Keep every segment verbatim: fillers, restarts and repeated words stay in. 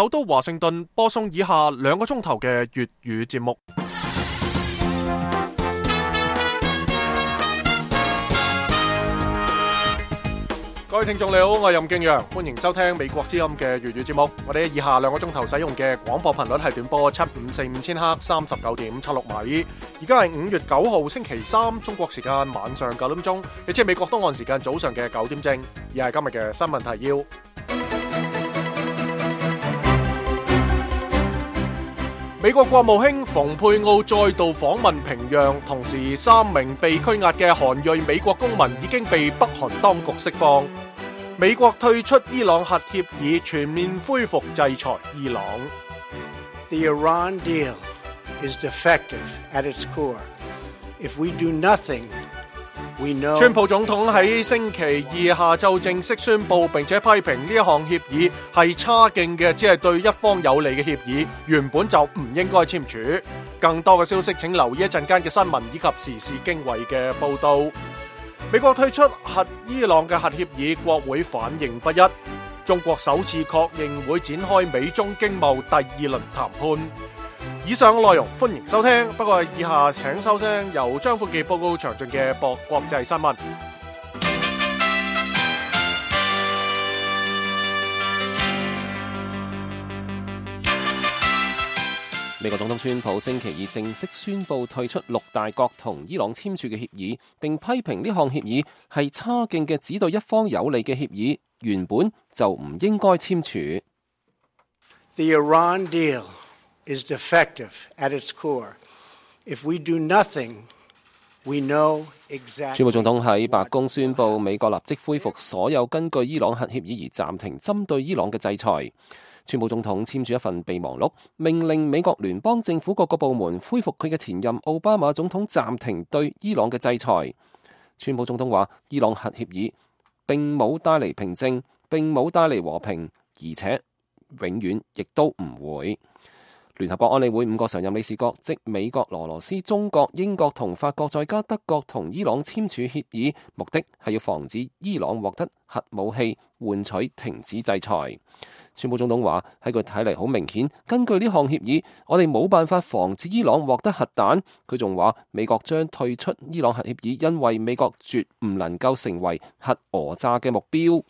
首都華盛頓播送以下兩個鐘頭嘅粵語節目。各位聽眾你好，我係任敬陽，歡迎收聽美國之音嘅粵語節目。我哋以下兩個鐘頭使用嘅廣播頻率係短波七五四五千赫三十九點七六米。而家係五月九號星期三，中國時間晚上九點鐘，亦即係美國東岸時間早上嘅九點正。而係今日嘅新聞提要。美國國務卿蓬佩奧再度訪問平壤，同時三名被拘押嘅韓裔美國公民已經被北韓當局釋放。美國退出伊朗核協議，全面恢復制裁伊朗。The Iran deal is defective at its core. If we do nothing, we know. 川普總統喺星期二下晝正式宣布，並且批評呢一項協議係差勁嘅，只係對一方有利嘅協議，原本就唔應該簽署。更多嘅消息請留意一陣間嘅新聞以及時事經緯嘅報道。美國退出核伊朗嘅核協議，國會反應不一。中國首次確認會展開美中經貿第二輪談判。以上內容歡迎收聽，不過以下請收聽由張富傑報告詳盡嘅博國際新聞。美國總統川普星期二正式宣布退出六大國同伊朗簽署嘅協議，並批評呢項協議係差勁嘅，只對一方有利嘅協議，原本就唔應該簽署。The Iran deal is defective at its core. If we do nothing, we know exactly. 川普總統喺白宮宣布，美國立即恢復所有根據伊朗核協議而暫停針對伊朗嘅制裁。川普總統簽署一份備忘錄，命令美國聯邦政府各個部門恢復佢嘅前任奧巴馬總統暫停對伊朗嘅制裁。川普總統話，伊朗核協議並冇帶嚟平靜，並冇帶嚟和平，而且永遠亦都唔會。聯合國安理會五個常任理事國，即美國、俄羅斯、中國、英國同法國，再加德國同伊朗簽署協議，目的係要防止伊朗獲得核武器，換取停止制裁。川普總統話，喺佢睇嚟好明顯，根據呢項協議，我哋冇辦法防止伊朗獲得核彈。佢仲話，美國將退出伊朗核協議，因為美國絕唔能夠成為核訛詐嘅目標。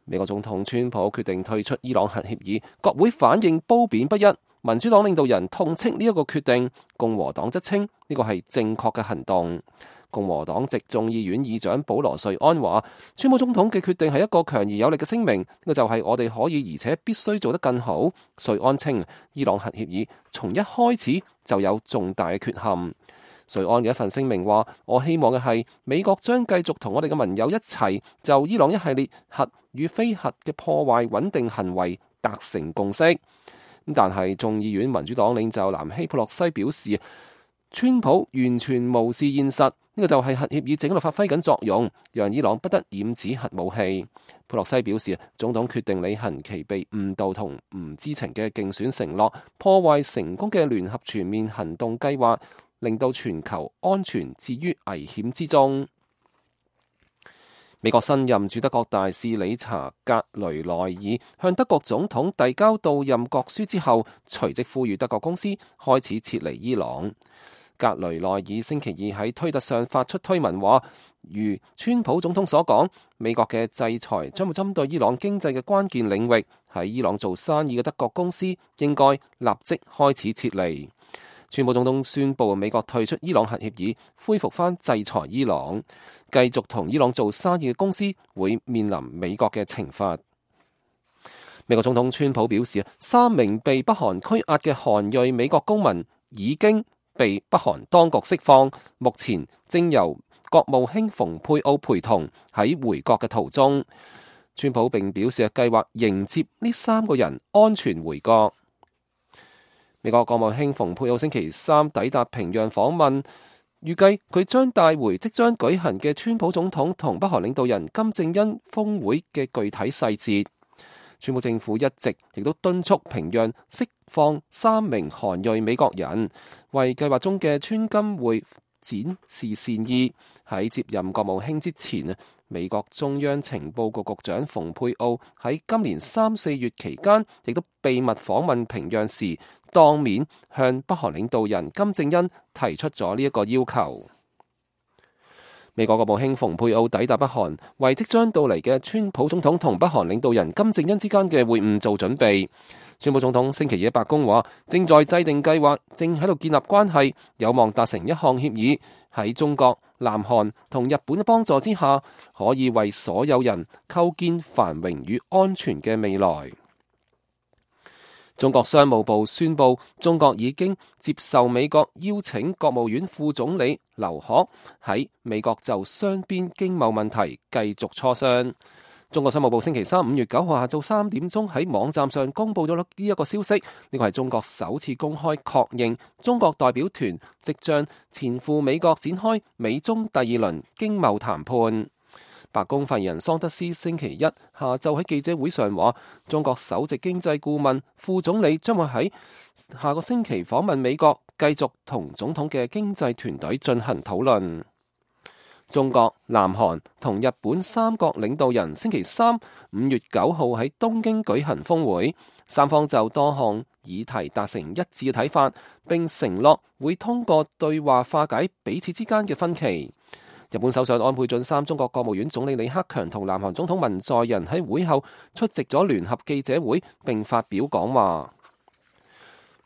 美國總統川普決定退出伊朗核協議，國會反應褒貶不一。民主黨領導人痛斥呢一個決定，共和黨則稱呢個係正確嘅行動。共和黨籍眾議院議長保羅瑞安話，川普總統嘅決定係一個強而有力嘅聲明，呢個就係我哋可以而且必須做得更好。瑞安稱，伊朗核協議從一開始就有重大嘅缺陷。瑞安嘅一份聲明話，我希望嘅係美國將繼續同我哋嘅盟友一齊就伊朗一系列核與非核嘅破壞穩定行為達成共識。但係眾議院民主黨領袖南希佩洛西表示，川普完全無視現實，呢、這個就係核協議正喺度發揮緊作用，讓伊朗不得染指核武器。佩洛西表示，總統決定履行其被誤導同唔知情嘅競選承諾，破壞成功嘅聯合全面行動計劃，令到全球安全置於危險之中。美國新任駐德國大使理查格雷內爾向德國總統遞交到任國書之後，隨即呼籲德國公司開始撤離伊朗。格雷內爾星期二喺推特上發出推文話，如川普總統所講，美國嘅制裁將會針對伊朗經濟嘅關鍵領域，喺伊朗做生意嘅德國公司應該立即開始撤離。川普總統宣布美國退出伊朗核協議，恢復翻制裁伊朗，繼續同伊朗做生意嘅公司會面臨美國嘅懲罰。美國總統川普表示，三名被北韓拘押嘅韓裔美國公民已經被北韓當局釋放，目前正由國務卿蓬佩奧陪同喺回國嘅途中。川普並表示計劃迎接呢三個人安全回國。美國國務卿蓬佩奧星期三抵達平壤訪問，預計佢將帶回即將舉行嘅川普總統同北韓領導人金正恩峰會嘅具體細節。川普政府一直亦都敦促平壤釋放三名韓裔美國人，為計劃中嘅川金會展示善意。喺接任國務卿之前啊，美國中央情報局局長蓬佩奧喺今年三四月期間，亦都秘密訪問平壤時，當面向北韓領導人金正恩提出咗呢一個要求。美國國務卿蓬佩奧抵達北韓，為即將到嚟嘅川普總統同北韓領導人金正恩之間嘅會晤做準備。川普總統星期二喺白宮話，正在制定計劃，正喺度建立關係，有望達成一項協議，喺中國、南韓同日本嘅幫助之下，可以為所有人構建繁榮與安全嘅未來。中國商務部宣布，中國已經接受美國邀請國務院副總理劉鶴喺美國就雙邊經貿問題繼續磋商。中國商務部星期三五月九號下晝三點鐘喺網站上公布咗呢一個消息，呢個係中國首次公開確認中國代表團即將前赴美國展開美中第二輪經貿談判。白宮發言人桑德斯星期一下晝喺記者會上話，中國首席經濟顧問副總理將會喺下個星期訪問美國，繼續同總統嘅經濟團隊進行討論。中國、南韓同日本三國領導人星期三五月九號喺東京舉行峰會，三方就多項議題達成一致嘅睇法，並承諾會通過對話化解彼此之間嘅分歧。日本首相安倍晉三、中國國務院總理李克強同南韓總統文在寅喺會後出席咗聯合記者會，並發表講話。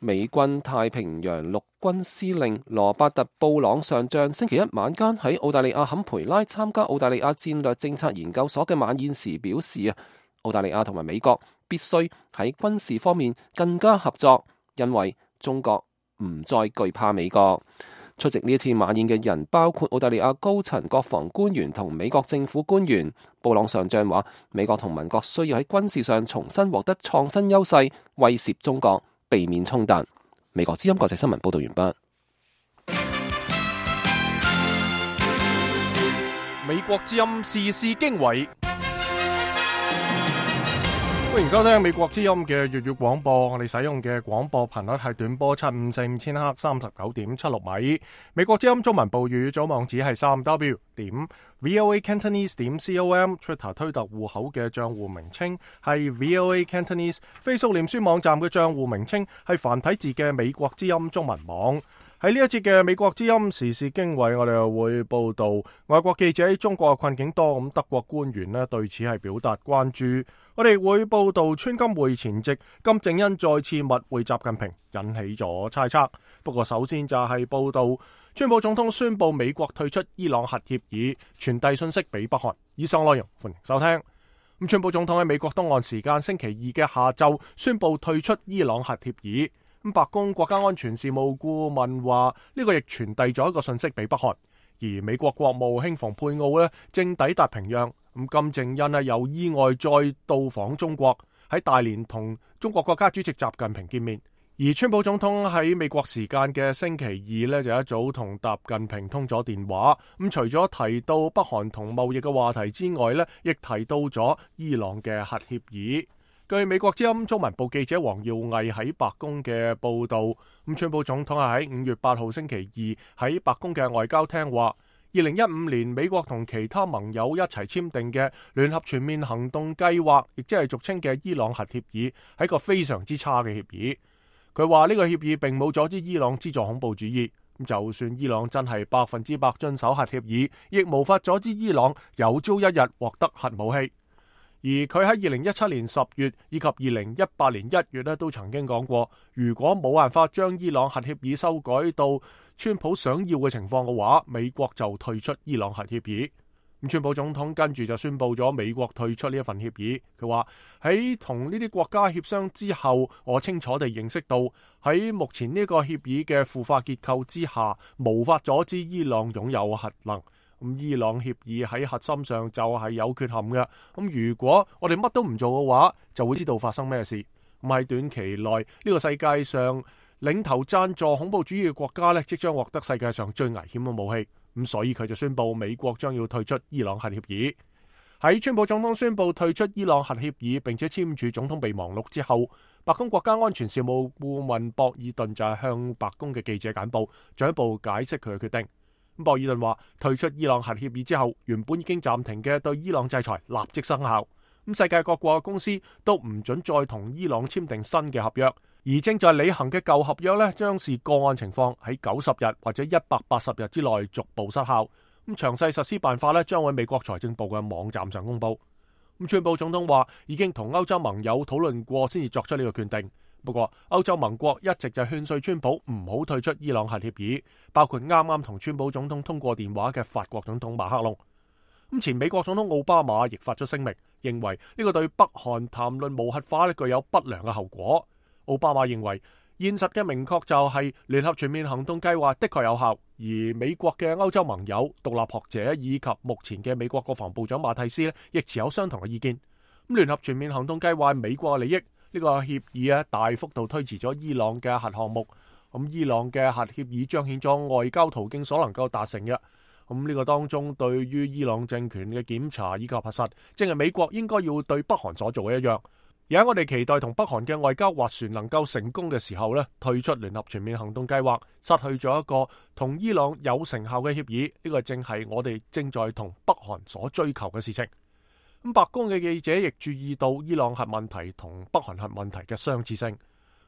美軍太平洋陸軍司令羅伯特布朗上將星期一晚間喺澳大利亞坎培拉參加澳大利亞戰略政策研究所嘅晚宴時表示啊，澳大利亞同埋美國必須喺軍事方面更加合作，因為中國唔再懼怕美國。出席呢一次晚宴嘅人包括澳大利亞高層國防官員同美國政府官員。布朗上將話，美國同盟國需要喺軍事上重新獲得創新優勢，威懾中國，避免衝突。美國之音國際新聞報道完畢。美國之音時事經緯，歡迎收聽美國之音嘅粵語廣播。我哋使用嘅廣播頻率係短波七五四五千赫三十九點七六米。美國之音中文部語組網址係三 w 點 voa cantonese 點 com。Twitter 推特戶口嘅賬戶名稱係 voa cantonese。Facebook 臉書網站嘅賬戶名稱係繁體字嘅美國之音中文網。喺呢一節嘅美國之音時事經緯，我哋又會報道外國記者喺中國嘅困境多，咁德國官員咧對此係表達關注。我哋會報道川金會前夕金正恩再次密會習近平，引起咗猜測。不過首先就係報道川普總統宣布美國退出伊朗核協議，傳遞信息俾北韓。以上內容歡迎收聽。咁川普總統喺美國東岸時間星期二嘅下晝宣布退出伊朗核協議。咁白宮國家安全事務顧問話呢個亦傳遞咗一個信息俾北韓，而美國國務卿蓬佩奧咧正抵達平壤。咁金正恩咧又意外再到訪中國，喺大連同中國國家主席習近平見面。而川普總統喺美國時間嘅星期二咧就一早同習近平通咗電話。咁除咗提到北韓同貿易嘅話題之外咧，亦提到咗伊朗嘅核協議。據美國之音中文部記者黃耀毅喺白宮嘅報道，咁川普總統係喺五月八號星期二喺白宮嘅外交廳話，二零一五年美國同其他盟友一齊簽訂嘅聯合全面行動計劃，亦即係俗稱嘅伊朗核協議，係一個非常之差嘅協議。佢話呢個協議並冇阻止伊朗資助恐怖主義，咁就算伊朗真係百分之百遵守核協議，亦無法阻止伊朗有朝一日獲得核武器。而佢喺二零一七年十月以及二零一八年一月咧，都曾經講過，如果冇辦法將伊朗核協議修改到川普想要嘅情況嘅話，美國就退出伊朗核協議。咁川普總統跟住就宣布咗美國退出呢一份協議。佢話喺同呢啲國家協商之後，我清楚地認識到喺目前呢個協議嘅腐化結構之下，無法阻止伊朗擁有核能。咁伊朗協議喺核心上就係有缺陷嘅。咁如果我哋乜都唔做嘅話，就會知道發生咩事。咁喺短期內，呢個世界上領頭贊助恐怖主義嘅國家咧，即將獲得世界上最危險嘅武器。咁所以佢就宣布美國將要退出伊朗核協議。喺川普總統宣布退出伊朗核協議並且簽署總統備忘錄之後，白宮國家安全事務顧問博爾頓就係向白宮嘅記者簡報，進一步解釋佢嘅決定。博爾頓話退出伊朗核協議之後，原本已經暫停嘅對伊朗制裁立即生效。咁世界各國嘅公司都唔准再同伊朗簽訂新嘅合約，而正在履行嘅舊合約呢，將視個案情況喺九十日或者一百八十日之內逐步失效。咁詳細實施辦法呢，將喺美國財政部嘅網站上公布。咁川普總統話已經同歐洲盟友討論過，先至作出呢個決定。不過歐洲盟國一直就勸說川普唔好退出伊朗核協議，包括啱啱同川普總統通過電話嘅法國總統馬克龍。咁前美國總統奧巴馬亦發出聲明，認為呢個對北韓談論無核化呢具有不良嘅後果。奧巴馬認為現實嘅明確就係聯合全面行動計劃的確有效，而美國嘅歐洲盟友、獨立學者以及目前嘅美國國防部長馬蒂斯呢亦持有相同嘅意見。咁聯合全面行動計劃係美國嘅利益。呢個協議啊，大幅度推遲咗伊朗嘅核項目。咁伊朗嘅核協議彰顯咗外交途徑所能夠達成嘅。咁呢個當中對於伊朗政權嘅檢查以及核實，正係美國應該要對北韓所做嘅一樣。而喺我哋期待同北韓嘅外交斡旋能夠成功嘅時候呢，退出聯合全面行動計劃，失去咗一個同伊朗有成效嘅協議。呢個正係我哋正在同北韓所追求嘅事情。咁白宮嘅記者亦注意到伊朗核問題同北韓核問題嘅相似性。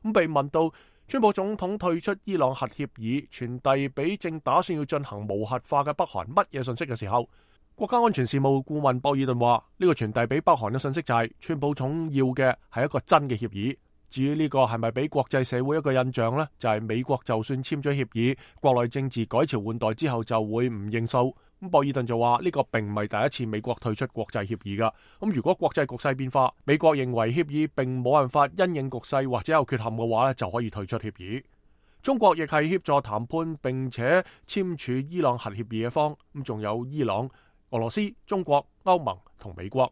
咁被問到川普總統退出伊朗核協議，傳遞俾正打算要進行無核化嘅北韓乜嘢信息嘅時候，國家安全事務顧問博爾頓話：呢個傳遞俾北韓嘅信息就係川普總要嘅係一個真嘅協議。至於呢個係咪俾國際社會一個印象呢？就係美國就算簽咗協議，國內政治改朝換代之後就會唔認數。咁博爾頓就話呢個並唔係第一次美國退出國際協議噶。咁如果國際局勢變化，美國認為協議並冇辦法因應局勢或者有缺陷嘅話咧，就可以退出協議。中國亦係協助談判並且簽署伊朗核協議嘅方。咁仲有伊朗、俄羅斯、中國、歐盟同美國。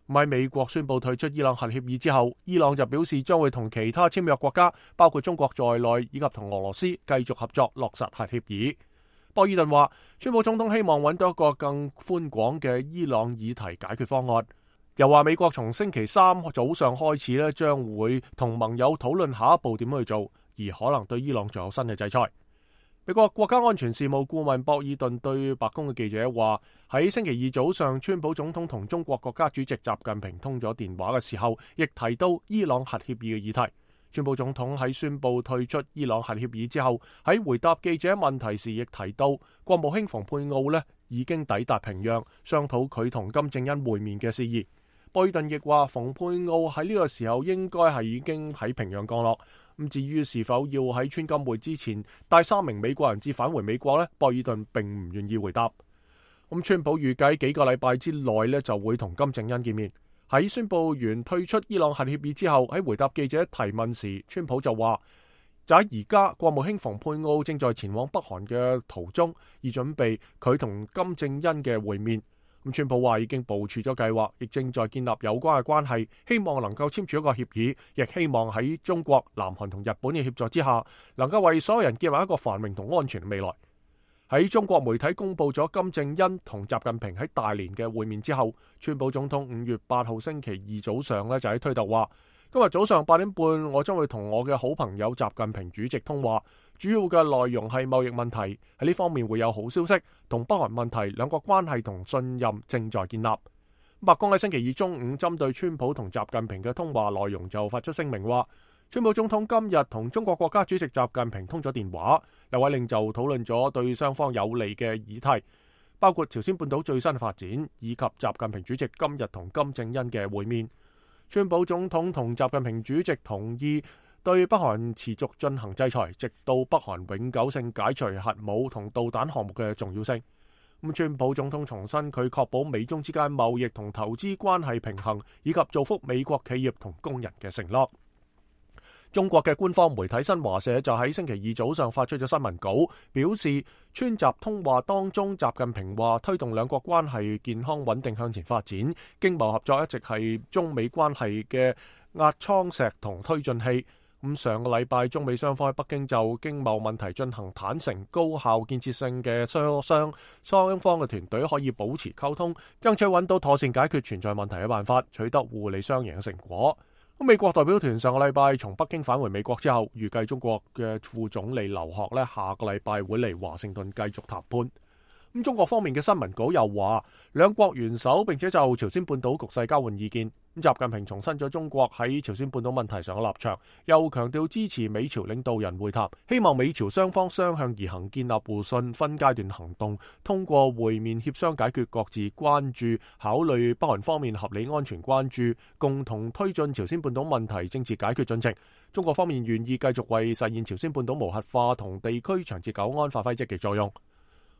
喺美國宣布退出伊朗核協議之後，伊朗就表示將會同其他簽約國家，包括中國在內以及同俄羅斯繼續合作落實核協議。博爾頓話，川普總統希望揾到一個更寬廣嘅伊朗議題解決方案。又話美國從星期三早上開始咧，將會同盟友討論下一步點去做，而可能對伊朗仲有新嘅制裁。美國國家安全事務顧問博爾頓對白宮嘅記者話，喺星期二早上，川普總統同中國國家主席習近平通咗電話嘅時候，亦提到伊朗核協議嘅議題。川普總統喺宣布退出伊朗核協議之後，喺回答記者問題時亦提到，國務卿蓬佩奧呢已經抵達平壤，商討佢同金正恩會面嘅事宜。博爾頓亦話，蓬佩奧喺呢個時候應該係已經喺平壤降落。咁至於是否要喺川金會之前帶三名美國人質返回美國呢？博爾頓並唔願意回答。咁川普預計幾個禮拜之內呢就會同金正恩見面。喺宣布完退出伊朗核協議之後，喺回答記者提問時，川普就話：就喺而家，國務卿蓬佩奧正在前往北韓嘅途中，以準備佢同金正恩嘅會面。咁川普話已經部署咗計劃，亦正在建立有關嘅關係，希望能夠簽署一個協議，亦希望喺中國、南韓同日本嘅協助之下，能夠為所有人建立一個繁榮同安全嘅未來。喺中國媒體公布咗金正恩同習近平喺大連嘅會面之後，川普總統五月八號星期二早上咧就喺推特話：今日早上八點半，我將會同我嘅好朋友習近平主席通話，主要嘅內容係貿易問題，喺呢方面會有好消息。同北韓問題，兩國關係同信任正在建立。白宮喺星期二中午針對川普同習近平嘅通話內容就發出聲明話，川普總統今日同中國國家主席習近平通咗電話，兩位領袖討論咗對雙方有利嘅議題，包括朝鮮半島最新發展，以及習近平主席今日同金正恩嘅會面。川普總統同習近平主席同意對北韓持續進行制裁，直到北韓永久性解除核武同導彈項目嘅重要性。咁川普總統重申佢確保美中之間貿易同投資關係平衡，以及造福美國企業同工人嘅承諾。中國嘅官方媒體新華社就喺星期二早上發出咗新聞稿，表示川習通話當中，習近平話推動兩國關係健康穩定向前發展，經貿合作一直係中美關係嘅壓艙石同推進器。咁上個禮拜，中美雙方喺北京就經貿問題進行坦誠、高效、建設性嘅磋商，雙方嘅團隊可以保持溝通，爭取揾到妥善解決存在問題嘅辦法，取得互利雙贏嘅成果。咁美國代表團上個禮拜從北京返回美國之後，預計中國嘅副總理劉鶴呢下個禮拜會嚟華盛頓繼續談判。咁中國方面嘅新聞稿又話，兩國元首並且就朝鮮半島局勢交換意見。咁習近平重申咗中國喺朝鮮半島問題上嘅立場，又強調支持美朝領導人會談，希望美朝雙方相向而行，建立互信，分階段行動，通過會面協商解決各自關注，考慮北韓方面合理安全關注，共同推進朝鮮半島問題政治解決進程。中國方面願意繼續為實現朝鮮半島無核化同地區長治久安發揮積極作用。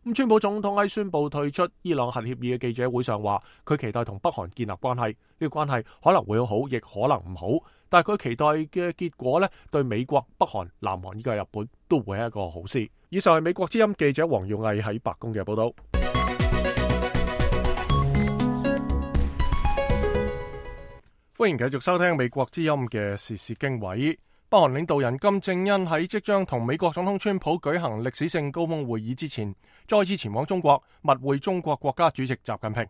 咁川普總統喺宣布退出伊朗核協議嘅記者會上話，佢期待同北韓建立關係，呢個關係可能會好，亦可能唔好，但係佢期待嘅結果呢，對美國、北韓、南韓以及日本都會係一個好事。以上係美國之音記者黃耀毅喺白宮嘅報道。歡迎繼續收聽美國之音嘅時事經緯。北韓領導人金正恩喺即將同美國總統川普舉行歷史性高峰會議之前，再次前往中國密會中國國家主席習近平。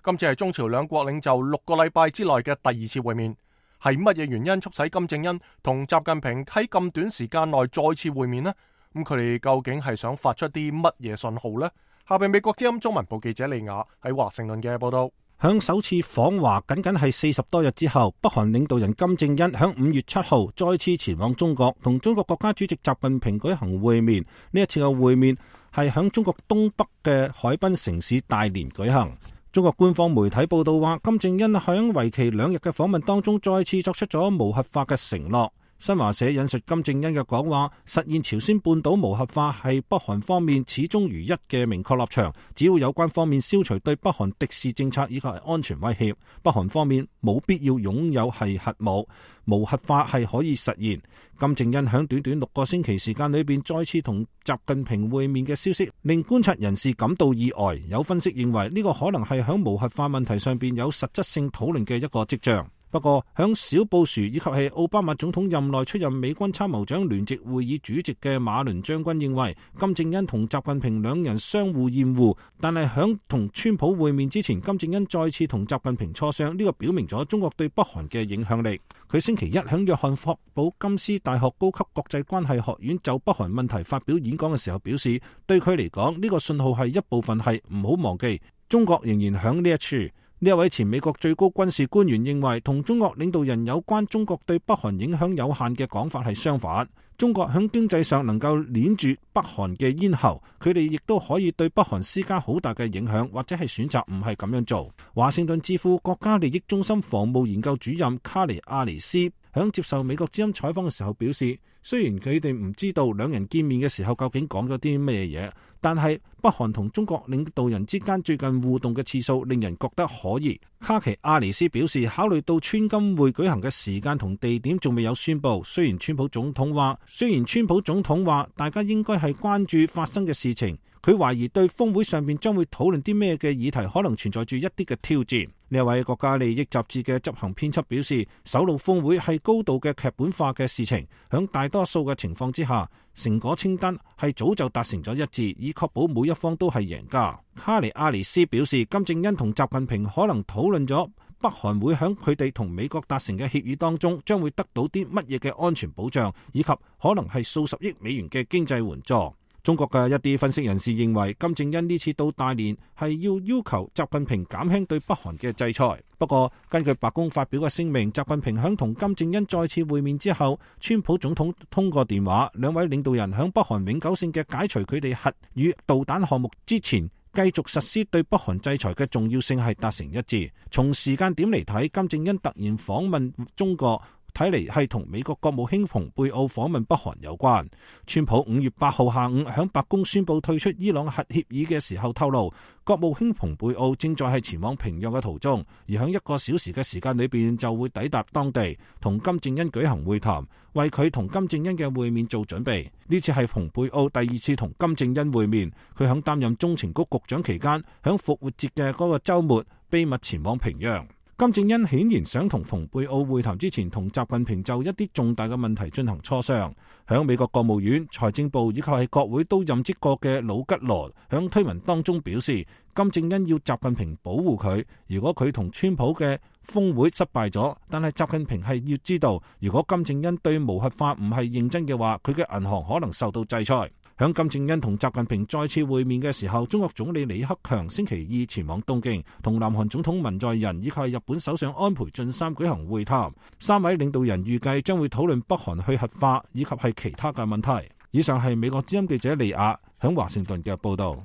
今次係中朝兩國領袖六個禮拜之內嘅第二次會面。係乜嘢原因促使金正恩同習近平喺咁短時間內再次會面呢？咁佢哋究竟係想發出啲乜嘢信號呢？下邊美國之音中文部記者利亞喺華盛頓嘅報道。響首次訪華僅僅係四十多日之後，北韓領導人金正恩響五月七號再次前往中國，同中國國家主席習近平舉行會面。呢一次嘅會面係響中國東北嘅海濱城市大連舉行。中國官方媒體報道話，金正恩響為期兩日嘅訪問當中，再次作出咗無核化嘅承諾。新華社引述金正恩嘅講話，實現朝鮮半島無核化係北韓方面始終如一嘅明確立場。只要有關方面消除對北韓敵視政策以及安全威脅，北韓方面冇必要擁有係核武，無核化係可以實現。金正恩響短短六個星期時間裏邊再次同習近平會面嘅消息，令觀察人士感到意外。有分析認為呢個可能係響無核化問題上邊有實質性討論嘅一個跡象。不過，響小布殊以及係奧巴馬總統任內出任美軍參謀長聯席會議主席嘅馬倫將軍認為，金正恩同習近平兩人相互厭惡，但係響同川普會面之前，金正恩再次同習近平磋商，呢個表明咗中國對北韓嘅影響力。佢星期一響約翰霍普金斯大學高級國際關係學院就北韓問題發表演講嘅時候表示，對佢嚟講，呢個信號係一部分係唔好忘記，中國仍然響呢一處。呢一位前美國最高軍事官員認為，同中國領導人有關中國對北韓影響有限嘅講法係相反。中國響經濟上能夠鏈住北韓嘅咽喉，佢哋亦都可以對北韓施加好大嘅影響，或者係選擇唔係咁樣做。華盛頓智庫國家利益中心防務研究主任卡尼亞尼斯響接受美國之音採訪嘅時候表示，雖然佢哋唔知道兩人見面嘅時候究竟講咗啲咩嘢，但係北韓同中國領導人之間最近互動嘅次數令人覺得可疑。卡奇亞尼斯表示，考慮到川金會舉行嘅時間同地點仲未有宣布，雖然川普總統話，雖然川普總統話大家應該係關注發生嘅事情，佢懷疑對峰會上面將會討論啲咩嘅議題可能存在住一啲嘅挑戰。呢位國家利益雜誌嘅執行編輯表示，首腦峰會係高度嘅劇本化嘅事情，響大多數嘅情況之下，成果清單係早就達成咗一致，以確保每一方都係贏家。卡尼亞尼斯表示，金正恩同習近平可能討論咗北韓會響佢哋同美國達成嘅協議當中將會得到啲乜嘢嘅安全保障，以及可能係數十億美元嘅經濟援助。中國嘅一啲分析人士認為，金正恩呢次到大連係要要求習近平減輕對北韓嘅制裁。不過，根據白宮發表嘅聲明，習近平響同金正恩再次會面之後，川普總統通過電話，兩位領導人響北韓永久性嘅解除佢哋核與導彈項目之前，繼續實施對北韓制裁嘅重要性係達成一致。從時間點嚟睇，金正恩突然訪問中國，睇嚟係同美國國務卿蓬佩奧訪問北韓有關。川普五月八號下午響白宮宣布退出伊朗核協議嘅時候透露，國務卿蓬佩奧正在係前往平壤嘅途中，而響一個小時嘅時間裏邊就會抵達當地，同金正恩舉行會談，為佢同金正恩嘅會面做準備。呢次係蓬佩奧第二次同金正恩會面，佢響擔任中情局局長期間，響復活節嘅嗰個週末秘密前往平壤。金正恩顯然想同蓬佩奧會談之前，同習近平就一啲重大嘅問題進行磋商。響美國國務院、財政部以及係國會都任職過嘅魯吉羅響推文當中表示，金正恩要習近平保護佢，如果佢同川普嘅峰會失敗咗，但係習近平係要知道，如果金正恩對無核化唔係認真嘅話，佢嘅銀行可能受到制裁。響金正恩同習近平再次會面嘅時候，中國總理李克強星期二前往東京，同南韓總統文在寅以及日本首相安倍晉三舉行會談。三位領導人預計將會討論北韓去核化以及係其他嘅問題。以上係美國之音記者利亞響華盛頓嘅報道。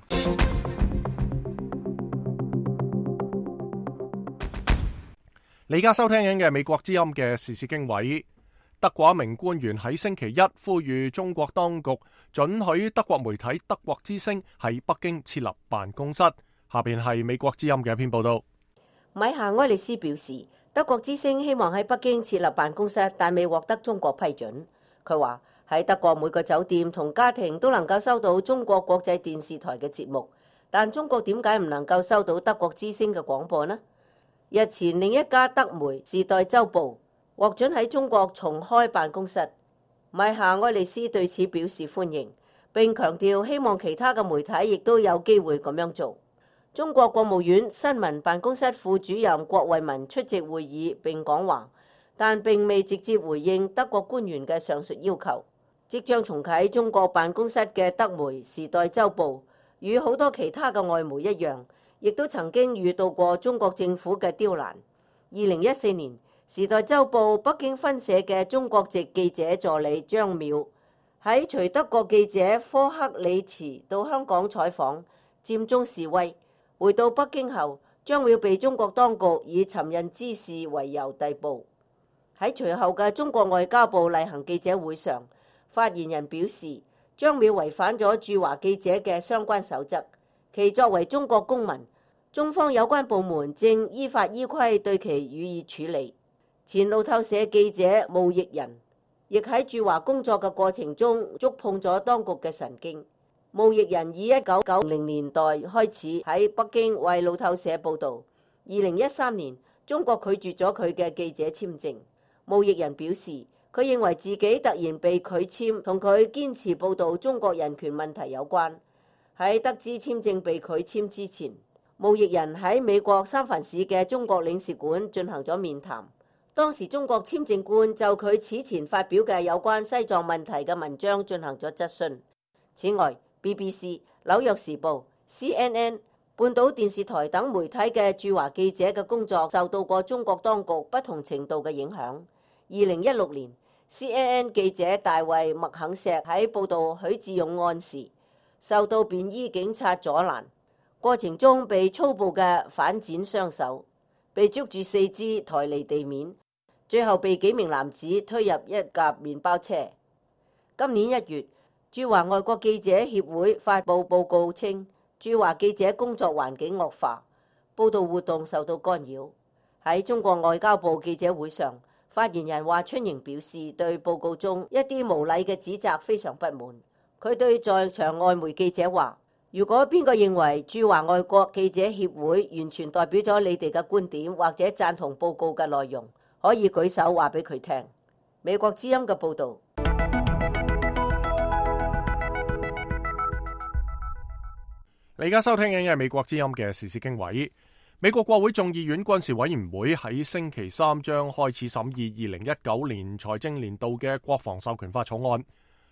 你而家收聽緊嘅美國之音嘅時事經緯。德國一名官員喺星期一呼籲中國當局准許德國媒體德國之聲喺北京設立辦公室。下邊係美國之音嘅一篇報道。米夏埃利斯表示，德國之聲希望喺北京設立辦公室，但未獲得中國批准。佢話喺德國每個酒店同家庭都能夠收到中國國際電視台嘅節目，但中國點解唔能夠收到德國之聲嘅廣播呢？日前另一家德媒《時代週報》獲准喺中國重開辦公室，米夏埃利斯對此表示歡迎，並強調希望其他嘅媒體亦都有機會咁樣做。中國國務院新聞辦公室副主任郭衛民出席會議並講話，但並未直接回應德國官員嘅上述要求。即將重啟中國辦公室嘅德媒《時代週報》與好多其他嘅外媒一樣，亦都曾經遇到過中國政府嘅刁難。二零一四年，《時代週報》北京分社嘅中國籍記者助理張淼喺隨德國記者科克里茨到香港採訪佔中示威，回到北京後，張淼被中國當局以尋釁滋事為由逮捕。喺隨後嘅中國外交部例行記者會上，發言人表示，張淼違反咗駐華記者嘅相關守則，其作為中國公民，中方有關部門正依法依規對其予以處理。前路透社記者毛奕人亦喺駐華工作嘅過程中觸碰咗當局嘅神經。毛奕人以一九九零年代開始喺北京為路透社報道，二零一三年中國拒絕咗佢嘅記者簽證。毛奕人表示，佢認為自己突然被拒簽同佢堅持報道中國人權問題有關。喺得知簽證被拒簽之前，毛奕人喺美國三藩市嘅中國領事館進行咗面談。當時中國簽證官就佢此前發表嘅有關西藏問題嘅文章進行咗質詢。此外 ，B B C、紐約時報、C N N、半島電視台等媒體嘅駐華記者嘅工作受到過中國當局不同程度嘅影響。二零一六年 ，C N N 記者大衛麥肯錫喺報導許志勇案時，受到便衣警察阻攔，過程中被粗暴嘅反剪雙手，被捉住四肢抬離地面。最後被幾名男子推入一架麵包車。今年一月，駐華外國記者協會發布報告稱，駐華記者工作環境惡化，報道活動受到干擾。喺中國外交部記者會上，發言人華春瑩表示對報告中一啲無禮嘅指責非常不滿。佢對在場外媒記者話：如果邊個認為駐華外國記者協會完全代表咗你哋嘅觀點或者贊同報告嘅內容，可以舉手話俾佢聽。美國之音嘅報導。你而家收聽緊嘅係美國之音嘅時事經緯。美國國會眾議院軍事委員會喺星期三將開始審議二零一九年財政年度嘅國防授權法草案。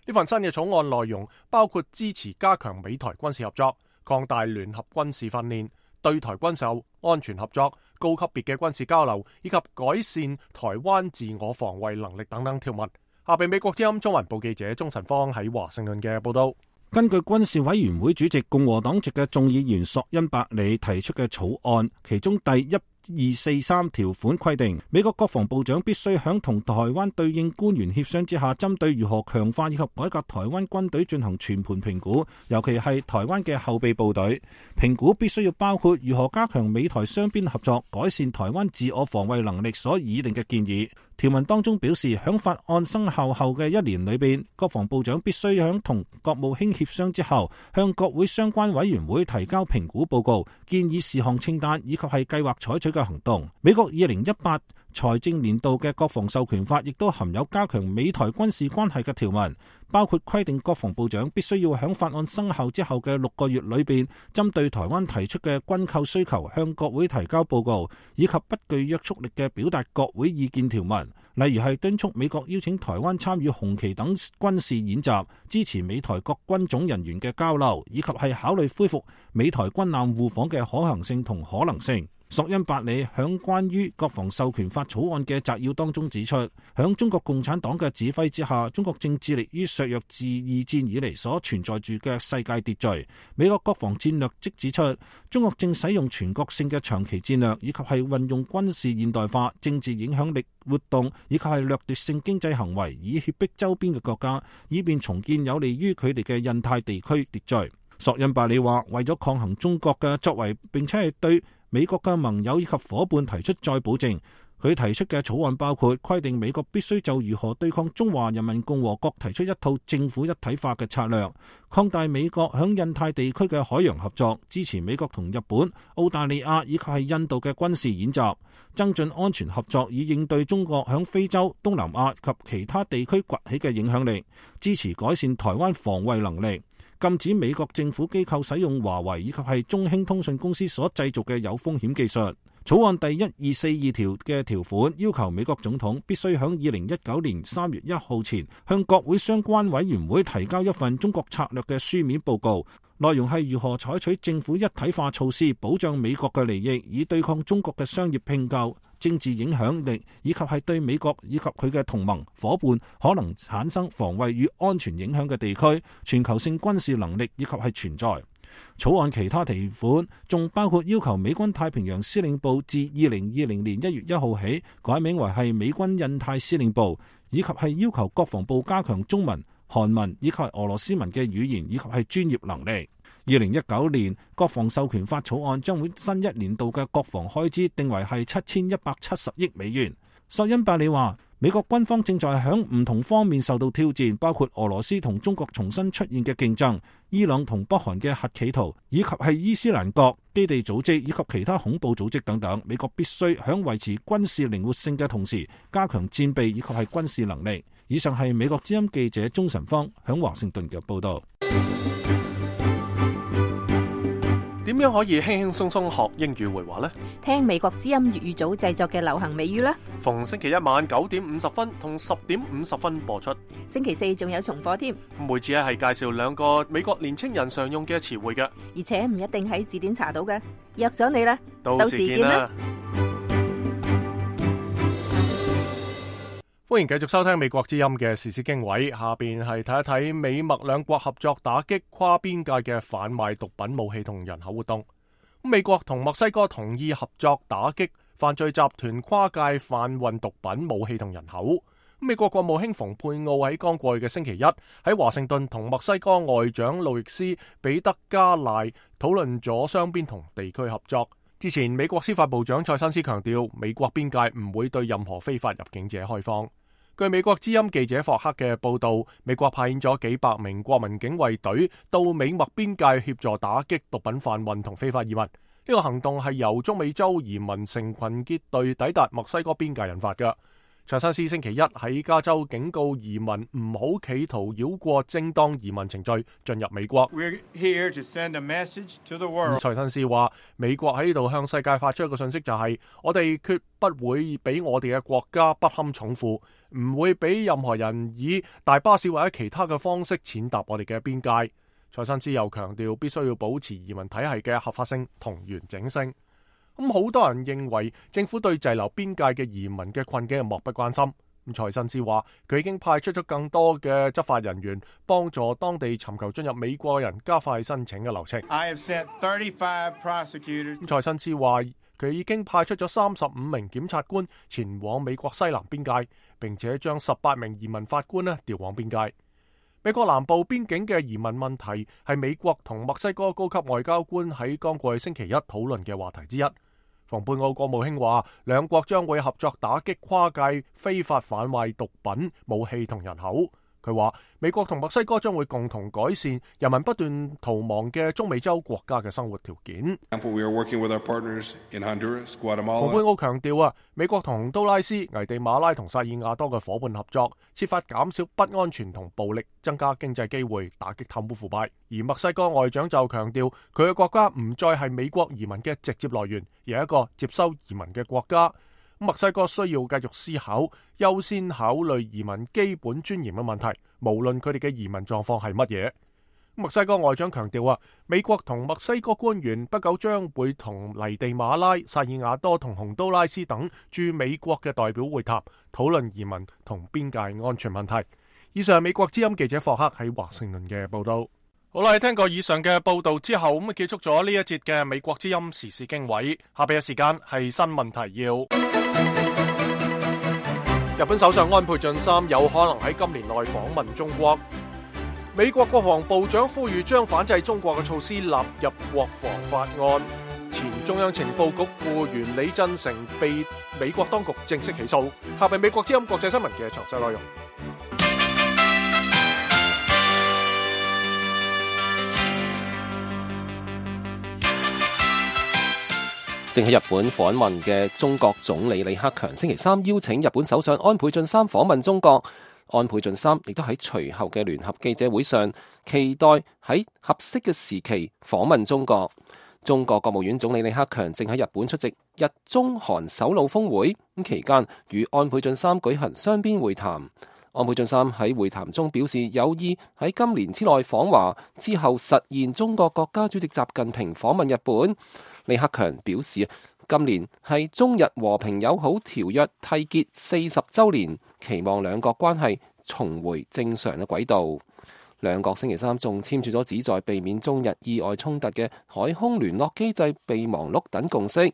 呢份新嘅草案內容包括支持加強美台軍事合作、擴大聯合軍事訓練、對台軍售、安全合作、高級別嘅軍事交流以及改善台灣自我防衛能力等等條文。下邊美國之音中文部記者鐘晨芳喺華盛頓嘅報道。根據軍事委員會主席共和黨籍嘅眾議員索恩伯里提出嘅草案，其中第一二四三條款規定，美國國防部長必須響同台灣對應官員協商之下，針對如何強化以及改革台灣軍隊進行全盤評估，尤其係台灣嘅後備部隊。評估必須要包括如何加強美台雙邊合作、改善台灣自我防衛能力所擬定嘅建議。條文當中表示，響法案生效後嘅一年裏邊，國防部長必須響同國務卿協商之後，向國會相關委員會提交評估報告、建議事項清單以及係計劃採取嘅行動。美國二零一八財政年度嘅國防授權法亦都含有加強美台軍事關係嘅條文，包括規定國防部長必須要響法案生效之後嘅六個月裏邊，針對台灣提出嘅軍購需求向國會提交報告，以及不具約束力嘅表達國會意見條文。例如係敦促美國邀請台灣參與紅旗等軍事演習，支持美台各軍種人員嘅交流，以及係考慮恢復美台軍艦互訪嘅可行性同可能性。索恩伯里響關於國防授權法草案嘅摘要當中指出，響中國共產黨嘅指揮之下，中國正致力於削弱自二戰以嚟所存在住嘅世界秩序。美國國防戰略即指出，中國正使用全國性嘅長期戰略，以及係運用軍事現代化、政治影響力活動，以及係掠奪性經濟行為，以脅迫周邊嘅國家，以便重建有利於佢哋嘅印太地區秩序。索恩伯里話，為咗抗衡中國嘅作為，並且係對美國嘅盟友以及夥伴提出再保證。佢提出嘅草案包括規定美國必須就如何對抗中華人民共和國提出一套政府一體化嘅策略，擴大美國響印太地區嘅海洋合作，支持美國同日本、澳大利亞以及係印度嘅軍事演習，增進安全合作以應對中國響非洲、東南亞及其他地區崛起嘅影響力，支持改善台灣防衛能力，禁止美國政府機構使用華為以及係中興通訊公司所製造嘅有風險技術。草案第一二四二條嘅條款要求美國總統必須響二零一九年三月一號前向國會相關委員會提交一份中國策略嘅書面報告，內容係如何採取政府一體化措施保障美國嘅利益，以對抗中國嘅商業併購、政治影響力，以及係對美國以及佢嘅同盟夥伴可能產生防衛與安全影響嘅地區全球性軍事能力以及係存在。草案其他條款仲包括要求美軍太平洋司令部自二零二零年一月一號起改名為係美軍印太司令部，以及係要求國防部加強中文、韓文以及係俄羅斯文嘅語言以及係專業能力。二零一九年國防授權法草案將會新一年度嘅國防開支定為係七千一百七十億美元。索恩伯里話，美國軍方正在響唔同方面受到挑戰，包括俄羅斯同中國重新出現嘅競爭、伊朗同北韓嘅核企圖，以及係伊斯蘭國基地組織以及其他恐怖組織等等。美國必須響維持軍事靈活性嘅同時，加強戰備以及係軍事能力。以上係美國之音記者鍾晨芳響華盛頓嘅報道。點樣可以輕輕鬆鬆學英語會話呢？聽美國之音粵語組製作嘅流行美語啦。逢星期一晚九點五十分同十點五十分播出。星期四仲有重播添。每次咧係介紹兩個美國年青人常用嘅詞彙嘅，而且唔一定喺字典查到嘅。約咗你啦，到時見啦。歡迎繼續收聽美國之音嘅時事經緯，下邊係睇一睇美墨兩國合作打擊跨邊界嘅販賣毒品、武器同人口活動。美國同墨西哥同意合作打擊犯罪集團跨界販運毒品、武器同人口。美國國務卿蓬佩奧喺剛過去嘅星期一喺華盛頓同墨西哥外長路易斯彼得加賴討論咗雙邊同地區合作。之前美國司法部長塞申斯強調，美國邊界唔會對任何非法入境者開放。據美國之音記者霍克嘅報道，美國派遣咗幾百名國民警衛隊到美墨邊界協助打擊毒品販運同非法移民。呢個行動係由中美洲移民成群結隊抵達墨西哥邊界引發嘅。塞申斯星期一喺加州警告移民唔好企圖繞過正當移民程序進入美國。We're here to send a message to the world. 塞申斯話，美國喺呢度向世界發出一個信息，就係我哋決不會俾我哋嘅國家不堪重負，唔會俾任何人以大巴士或者其他嘅方式踐踏我哋嘅邊界。塞申斯又強調，必須要保持移民體系嘅合法性同完整性。咁好多人認為政府對滯留邊界嘅移民嘅困境係漠不關心。咁塞申斯話，佢已經派出咗更多嘅執法人員，幫助當地尋求進入美國人加快申請嘅流程。I have sent thirty-five prosecutors. 咁塞申斯話，佢已經派出咗三十五名檢察官前往美國西南邊界，並且將十八名移民法官呢調往邊界。美國南部邊境嘅移民問題係美國同墨西哥高級外交官喺剛過去星期一討論嘅話題之一。蓬佩奧國務卿話，兩國將會合作打擊跨界非法販賣毒品、武器同人口。佢話，美國同墨西哥將會共同改善人民不斷逃亡嘅中美洲國家嘅生活條件。蓬佩奧強調啊，美國同洪都拉斯、危地馬拉同薩爾瓦多嘅伙伴合作，設法減少不安全同暴力，增加經濟機會，打擊貪污腐敗。而墨西哥外長就強調，佢嘅國家唔再係美國移民嘅直接來源，而係一個接收移民嘅國家。墨西哥需要繼續思考，優先考慮移民基本尊嚴嘅問題，無論佢哋嘅移民狀況係乜嘢。墨西哥外長強調啊，美國同墨西哥官員不久將會同危地馬拉、薩爾瓦多同洪都拉斯等駐美國嘅代表會談，討論移民同邊界安全問題。以上係美國之音記者霍克喺華盛頓嘅報道。好啦，聽過以上嘅報道之後，咁啊結束咗呢一節嘅美國之音時事經緯。下邊嘅時間係新聞提要。日本首相安倍晉三有可能喺今年內訪問中國。美國國防部長呼籲將反制中國嘅措施納入國防法案。前中央情報局僱員李振成被美國當局正式起訴。下邊美國之音國際新聞嘅詳細內容。正喺日本訪問嘅中國總理李克強星期三邀請日本首相安倍晉三訪問中國。安倍晉三亦都喺隨後嘅聯合記者會上，期待喺合適嘅時期訪問中國。中國國務院總理李克強正喺日本出席日中韓首腦峰會，咁期間與安倍晉三舉行雙邊會談。安倍晉三喺會談中表示有意喺今年之內訪華，之後實現中國國家主席習近平訪問日本。李克強表示，今年係中日和平友好條約締結四十週年，期望兩國關係重回正常嘅軌道。兩國星期三仲簽署咗旨在避免中日意外衝突嘅海空聯絡機制備忘錄等共識。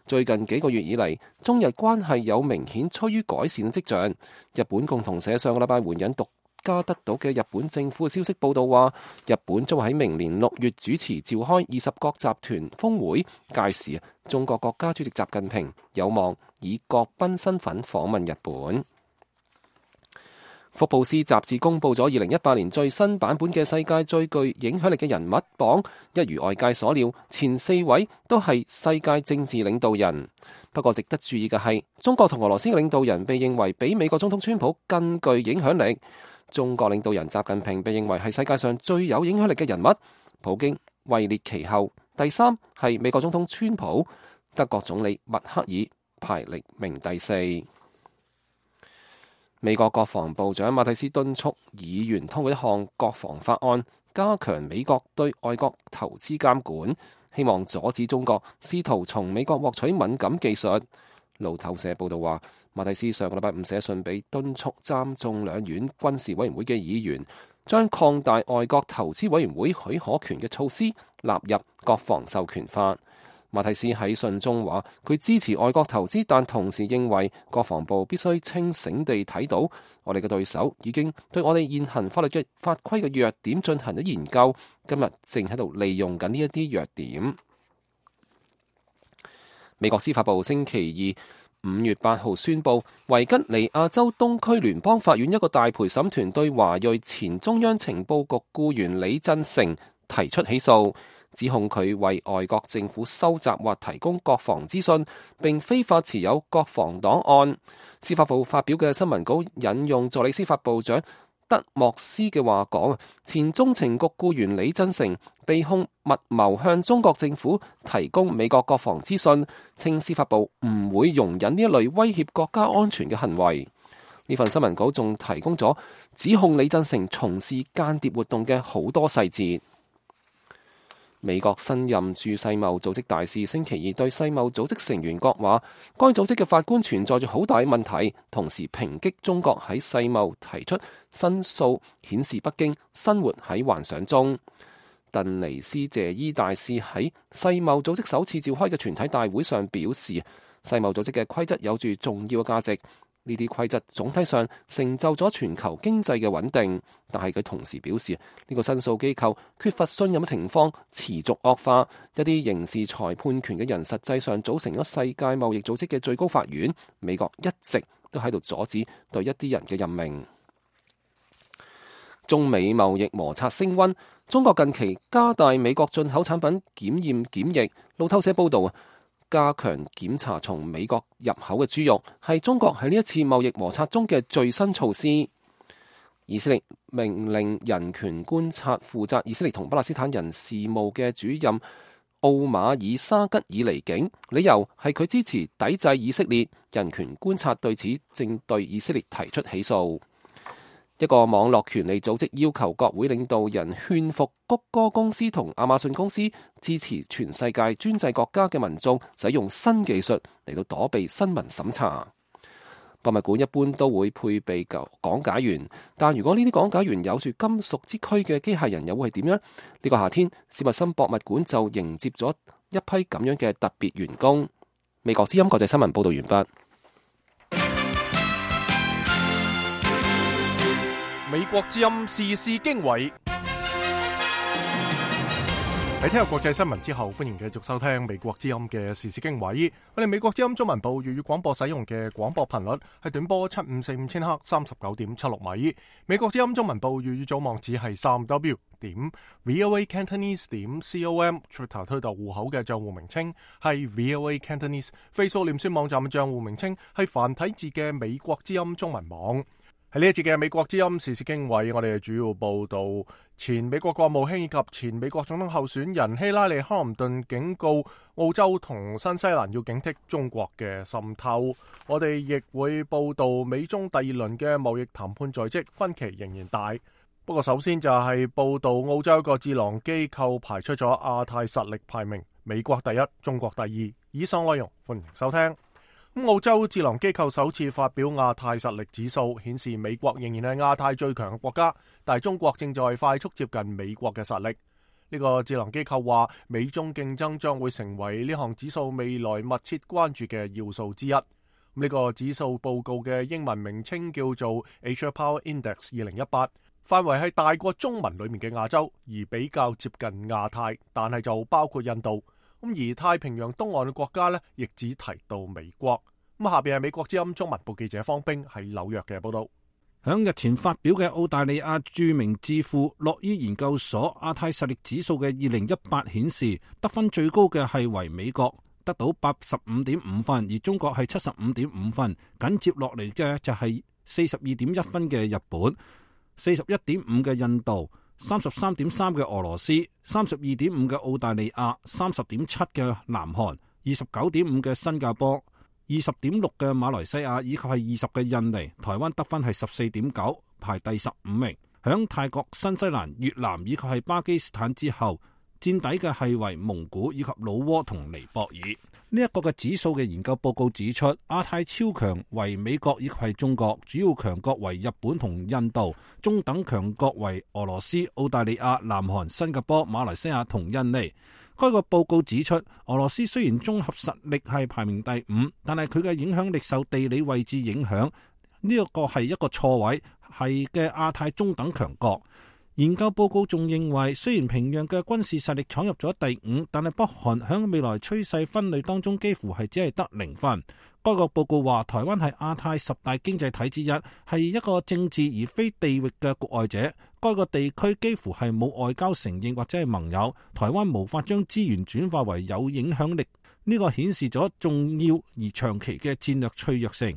最近幾個月以嚟，中日關係有明顯趨於改善嘅跡象。日本共同社上個禮拜援引獨家得到嘅日本政府嘅消息報道話，日本將會喺明年六月主持召開二十國集團峰會，屆時中國國家主席習近平有望以國賓身份訪問日本。福布斯雜誌公布咗二零一八年最新版本嘅世界最具影響力嘅人物榜，一如外界所料，前四位都係世界政治領導人。不過值得注意嘅係，中國同俄羅斯嘅領導人被認為比美國總統川普更具影響力。中國領導人習近平被認為係世界上最有影響力嘅人物，普京位列其後，第三係美國總統川普，德國總理默克爾排歷名第四。美國國防部長馬蒂斯敦促議員通過一項國防法案，加強美國對外國投資監管，希望阻止中國試圖從美國獲取敏感技術。路透社報道話，馬蒂斯上個禮拜五寫信俾敦促參眾兩院軍事委員會嘅議員，將擴大外國投資委員會許可權嘅措施納入國防授權法。馬蒂斯喺信中話，佢支持外國投資，但同時認為國防部必須清醒地睇到，我哋嘅對手已經對我哋現行法律嘅法規嘅弱點進行咗研究，今日正喺度利用緊呢一啲弱點。美國司法部星期二五月八號宣布，維吉尼亞州東區聯邦法院一個大陪審團對華裔前中央情報局僱員李振成提出起訴，指控佢為外國政府收集或提供國防資訊，並非法持有國防檔案。司法部發表嘅新聞稿引用助理司法部長德莫斯嘅話講，前中情局僱員李振成被控密謀向中國政府提供美國國防資訊，稱司法部唔會容忍呢一類威脅國家安全嘅行為。呢份新聞稿仲提供咗指控李振成從事間諜活動嘅好多細節。美國新任駐世貿組織大使星期二對世貿組織成員國話，該組織嘅法官存在住好大問題，同時抨擊中國喺世貿提出申訴，顯示北京生活喺幻想中。鄧尼斯謝伊大使喺世貿組織首次召開嘅全體大會上表示，世貿組織嘅規則有住重要嘅價值。呢啲規則總體上成就咗全球經濟嘅穩定，但係佢同時表示，呢個申訴機構缺乏信任嘅情況持續惡化。一啲刑事裁判權嘅人實際上組成咗世界貿易組織嘅最高法院。美國一直都喺度阻止對一啲人嘅任命。中美貿易摩擦升溫，中國近期加大美國進口產品檢驗檢疫。路透社報導啊，加強檢查從美國入口嘅豬肉，係中國喺呢一次貿易摩擦中嘅最新措施。以色列命令人權觀察負責以色列同巴勒斯坦人事務嘅主任奧馬爾沙吉爾離境，理由係佢支持抵制以色列。人權觀察對此正對以色列提出起訴。一個網絡權利組織要求國會領導人勸服谷歌公司同亞馬遜公司支持全世界專制國家嘅民眾使用新技術嚟到躲避新聞審查。博物館一般都會配備講解員，但如果呢啲講解員有住金屬之軀嘅機械人，又會係點樣？呢、這個夏天，史密森博物館就迎接咗一批咁樣嘅特別員工。美國之音國際新聞報道完畢。美國之音時事經緯。喺聽日國際新聞之後，歡迎繼續收聽美國之音嘅時事經緯。我哋美國之音中文部粵語廣播使用嘅廣播頻率係短波七五四五千赫三十九點七六米。美國之音中文部粵語組網址係三 w 點 voa cantonese 點 com。Twitter 推特戶口嘅賬戶名稱係 voa cantonese。Facebook 臉書網站嘅賬戶名稱係繁體字嘅美國之音中文網。喺呢一節嘅美國之音時事經緯，我哋主要報道前美國國務卿以及前美國總統候選人希拉里·克林頓警告澳洲同新西蘭要警惕中國嘅滲透。我哋亦會報道美中第二輪嘅貿易談判在即，分歧仍然大。不過首先就係報道澳洲一個智囊機構排出咗亞太實力排名，美國第一，中國第二。以上內容歡迎收聽。澳洲智囊機構首次發表亞太實力指數，顯示美國仍然係亞太最強嘅國家，但係中國正在快速接近美國嘅實力。呢個智囊機構話，美中競爭將會成為呢項指數未來密切關注嘅要素之一。呢個指數報告嘅英文名稱叫做 Asia Power Index 二零一八，範圍係大過中文裏面嘅亞洲，而比較接近亞太，但係就包括印度。咁而太平洋東岸嘅國家呢，亦只提到美國。咁下邊係美國之音中文部記者方冰喺紐約嘅報道。響日前發表嘅澳大利亞著名智庫洛伊研究所亞太實力指數嘅二零一八顯示，得分最高嘅係為美國，得到八十五點五分，而中國係七十五點五分，緊接落嚟嘅就係四十二點一分嘅日本，四十一點五嘅印度，三十三點三嘅俄羅斯，三十二點五嘅澳大利亞，三十點七嘅南韓，二十九點五嘅新加坡，二十點六嘅馬來西亞，以及係二十嘅印尼。台灣得分係十四點九，排第十五名。響泰國、新西蘭、越南以及係巴基斯坦之後，墊底嘅係為蒙古以及老撾同尼泊爾。呢、這、一個嘅指數嘅研究報告指出，亞太超強為美國以及係中國，主要強國為日本同印度，中等強國為俄羅斯、澳大利亞、南韓、新加坡、馬來西亞同印尼。該個報告指出，俄羅斯雖然綜合實力係排名第五，但係佢嘅影響力受地理位置影響，呢一個係一個錯位，係嘅亞太中等強國。研究報告仲認為，雖然平壤嘅軍事實力闖入咗第五，但係北韓響未來趨勢分類當中幾乎係只係得零分。該個報告話，台灣係亞太十大經濟體之一，係一個政治而非地域嘅局外者。該個地區幾乎係冇外交承認或者係盟友，台灣無法將資源轉化為有影響力，呢個顯示咗重要而長期嘅戰略脆弱性。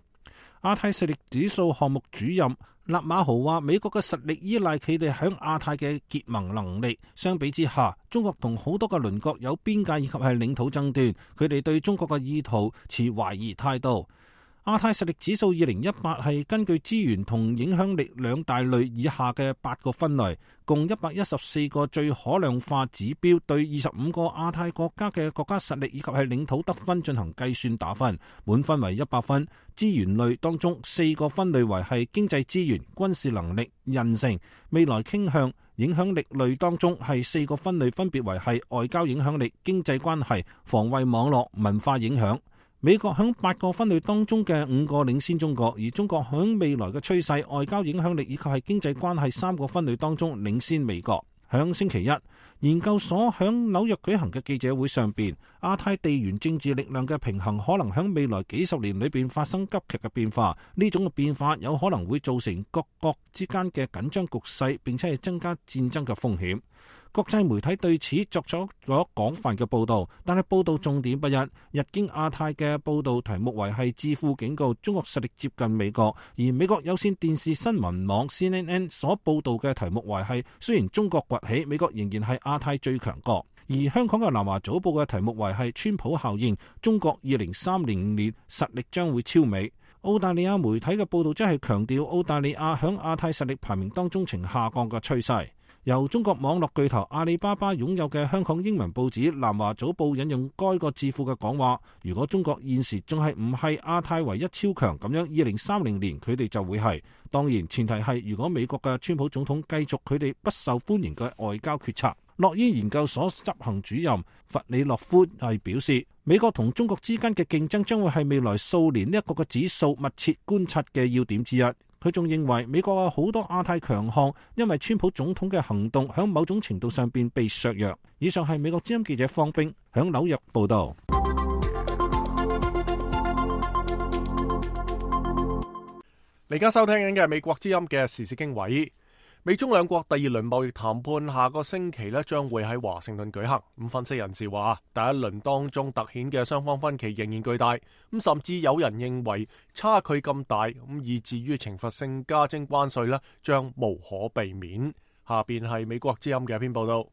亞太實力指數項目主任納馬豪話，美國嘅實力依賴佢哋響亞太嘅結盟能力，相比之下，中國同好多嘅鄰國有邊界以及係領土爭端，佢哋對中國嘅意圖持懷疑態度。亞太實力指數二零一八係根據資源同影響力兩大類以下嘅八個分類，共一百一十四個最可量化指標，對二十五個亞太國家嘅國家實力以及係領土得分進行計算打分，滿分為一百分。資源類當中四個分類為係經濟資源、軍事能力、韌性、未來傾向。影響力類當中係四個分類，分別為係外交影響力、經濟關係、防衛網絡、文化影響。美國響八個分類當中嘅五個領先中國，而中國響未來嘅趨勢、外交影響力以及係經濟關係三個分類當中領先美國。響星期一，研究所響紐約舉行嘅記者會上邊，亞太地緣政治力量嘅平衡可能響未來幾十年裏邊發生急劇嘅變化，呢種嘅變化有可能會造成各國之間嘅緊張局勢，並且係增加戰爭嘅風險。國際媒體對此作出咗廣泛嘅報導，但係報導重點不一。日經亞太嘅報導題目為係智庫警告中國實力接近美國，而美國有線電視新聞網 C N N 所報導嘅題目為係雖然中國崛起，美國仍然係亞太最強國。而香港嘅南華早報嘅題目為係川普效應，中國二零三零年實力將會超美。澳大利亞媒體嘅報導則係強調澳大利亞響亞太實力排名當中呈下降嘅趨勢。由中國網絡巨頭阿里巴巴擁有嘅香港英文報紙南華早報引用該個智庫嘅講話，如果中國現時仲係唔係亞太唯一超強咁樣，二零三零年佢哋就會係。當然前提係如果美國嘅川普總統繼續佢哋不受歡迎嘅外交決策。諾伊研究所執行主任弗里洛夫係表示，美國同中國之間嘅競爭將會係未來數年呢一個嘅指數密切觀察嘅要點之一。佢仲認為美國有好多亞太強項，因為川普總統嘅行動喺某種程度上邊被削弱。以上係美國之音記者方冰響紐約報道。你而家收聽緊嘅係美國之音嘅時事經緯。美中兩國第二輪貿易談判下個星期咧將會喺華盛頓舉行。咁分析人士話，第一輪當中突顯嘅雙方分歧仍然巨大，咁甚至有人認為差距咁大，咁以至於懲罰性加徵關稅咧將無可避免。下邊係美國之音嘅一篇報道。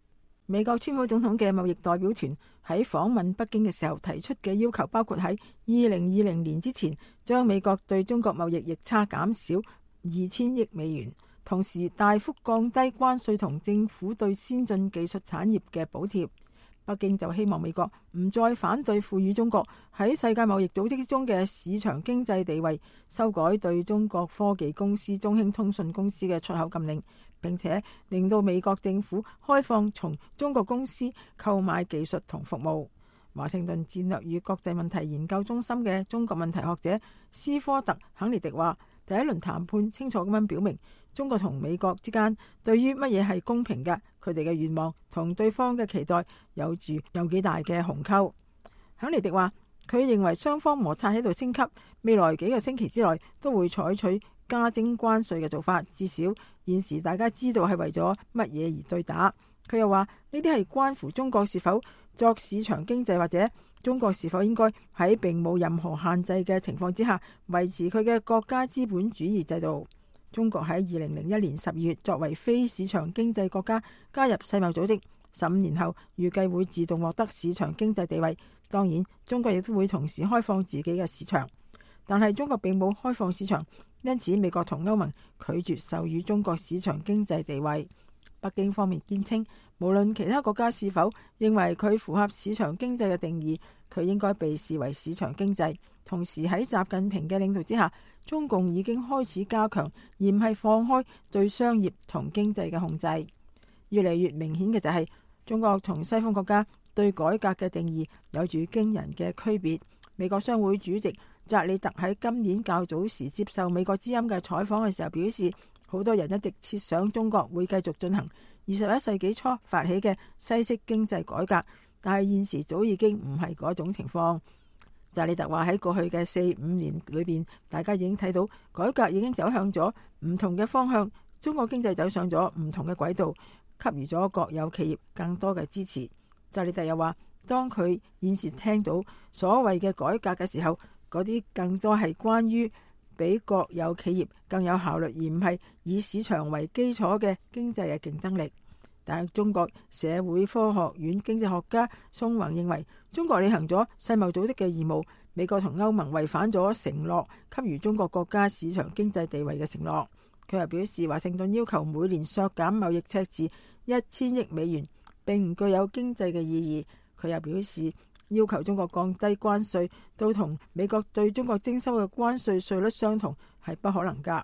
美國川普總統嘅貿易代表團喺訪問北京嘅時候提出嘅要求，包括喺二零二零年之前將美國對中國貿易逆差減少二千億美元。同時大幅降低關稅同政府對先進技術產業嘅補貼。北京就希望美國唔再反對賦予中國喺世界貿易組織中嘅市場經濟地位，修改對中國科技公司中興通訊公司嘅出口禁令，並且令到美國政府開放從中國公司購買技術同服務。華盛頓戰略與國際問題研究中心嘅中國問題學者斯科特肯尼迪話，第一輪談判清楚咁樣表明，中國同美國之間對於乜嘢係公平嘅，佢哋嘅願望同對方嘅期待有住有幾大嘅鴻溝。肯尼迪話，佢認為雙方摩擦喺度升級，未來幾個星期之內都會採取加徵關稅嘅做法，至少現時大家知道係為咗乜嘢而對打。佢又話，呢啲係關乎中國是否作市場經濟，或者中國是否應該喺並冇任何限制嘅情況之下維持佢嘅國家資本主義制度。中國喺二零零一年十二月作為非市場經濟國家加入世貿組織，十五年後預計會自動獲得市場經濟地位。當然，中國亦都會同時開放自己嘅市場，但係中國並冇開放市場，因此美國同歐盟拒絕授予中國市場經濟地位。北京方面堅稱，無論其他國家是否認為佢符合市場經濟嘅定義，佢應該被視為市場經濟。同時喺習近平嘅領導之下，中共已經開始加強而唔係放開對商業同經濟嘅控制。越嚟越明顯嘅就係，中國同西方國家對改革嘅定義有住驚人嘅區別。美國商會主席扎里特喺今年較早時接受美國之音嘅採訪嘅時候表示，好多人一直設想中國會繼續進行二十一世紀初發起嘅西式經濟改革，但係現時早已經唔係嗰種情況。扎里特話，喺過去嘅四五年裏邊，大家已經睇到改革已經走向咗唔同嘅方向，中國經濟走上咗唔同嘅軌道，給予咗國有企業更多嘅支持。扎里特又話，當佢現時聽到所謂嘅改革嘅時候，嗰啲更多係關於俾國有企業更有效率，而唔係以市場為基礎嘅經濟嘅競爭力。但係中國社會科學院經濟學家宋宏認為，中國履行咗世貿組織嘅義務，美國同歐盟違反咗承諾給予中國國家市場經濟地位嘅承諾。佢又表示，華盛頓要求每年削減貿易赤字一千億美元，並唔具有經濟嘅意義。佢又表示，要求中國降低關稅到同美國對中國徵收嘅關稅稅率相同係不可能㗎。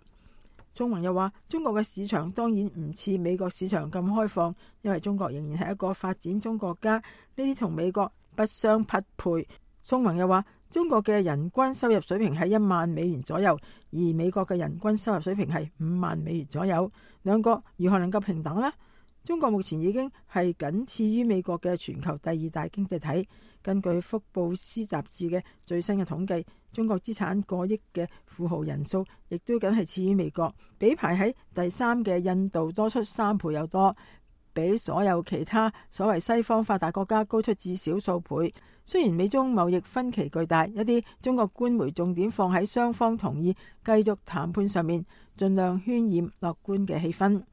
中文又話，中國嘅市場當然唔似美國市場咁開放，因為中國仍然係一個發展中國家，呢啲同美國不相匹配。中文又話，中國嘅人均收入水平係一萬美元左右，而美國嘅人均收入水平係五萬美元左右，兩國如何能夠平等呢？中國目前已經係僅次於美國嘅全球第二大經濟體。根據福布斯雜誌嘅最新嘅統計，中國資產過億嘅富豪人數亦都僅係次於美國，比排喺第三嘅印度多出三倍有多，比所有其他所謂西方發達國家高出至少數倍。雖然美中貿易分歧巨大，一啲中國官媒重點放喺雙方同意繼續談判上面，盡量渲染樂觀嘅氣氛。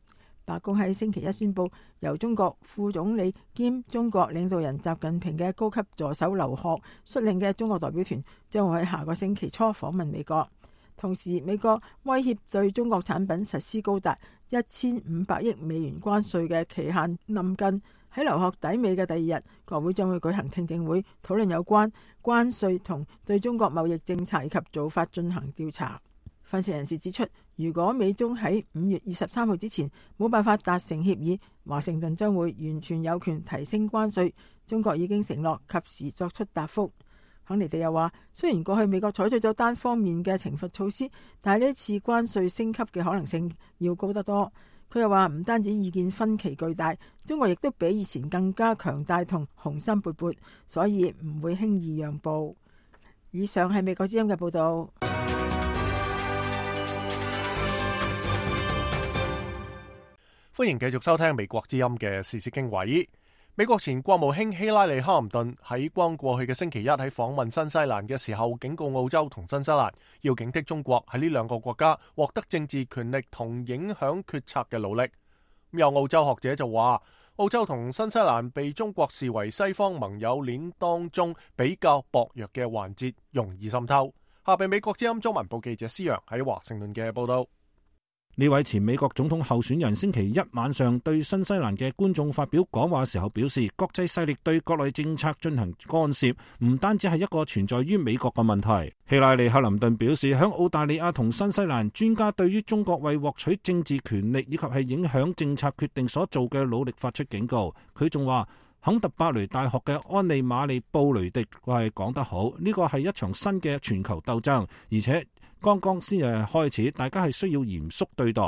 白宮喺星期一宣布，由中國副總理兼中國領導人習近平嘅高級助手劉鶴率領嘅中國代表團將會喺下個星期初訪問美國。同時，美國威脅對中國產品實施高達一千五百億美元關稅嘅期限臨近。喺劉鶴抵美嘅第二日，國會將會舉行聽證會，討論有關關稅同對中國貿易政策以及做法進行調查。分析人士指出，如果美中喺五月二十三號之前冇辦法達成協議，華盛頓將會完全有權提升關稅。中國已經承諾及時作出答覆。肯尼迪又話，雖然過去美國採取咗單方面嘅懲罰措施，但係呢次關稅升級嘅可能性要高得多。佢又話，唔單止意見分歧巨大，中國亦都比以前更加強大同雄心勃勃，所以唔會輕易讓步。以上係美國之音嘅報導。歡迎繼續收聽美國之音嘅時事經緯。美國前國務卿希拉里·克林頓喺剛過去嘅星期一喺訪問新西蘭嘅時候，警告澳洲同新西蘭要警惕中國喺呢兩個國家獲得政治權力同影響決策嘅努力。有澳洲學者就話，澳洲同新西蘭被中國視為西方盟友鏈當中比較薄弱嘅環節，容易滲透。下邊美國之音中文部記者施洋喺華盛頓嘅報道。呢位前美國總統候選人星期一晚上對新西蘭嘅觀眾發表講話時候表示，國際勢力對國內政策進行干涉，唔單止係一個存在於美國嘅問題。希拉里·克林頓表示，響澳大利亞同新西蘭專家對於中國為獲取政治權力以及係影響政策決定所做嘅努力發出警告。佢仲話，肯特伯雷大學嘅安利馬利布雷迪係講得好，呢個係一場新嘅全球鬥爭，而且剛剛先係開始，大家係需要嚴肅對待。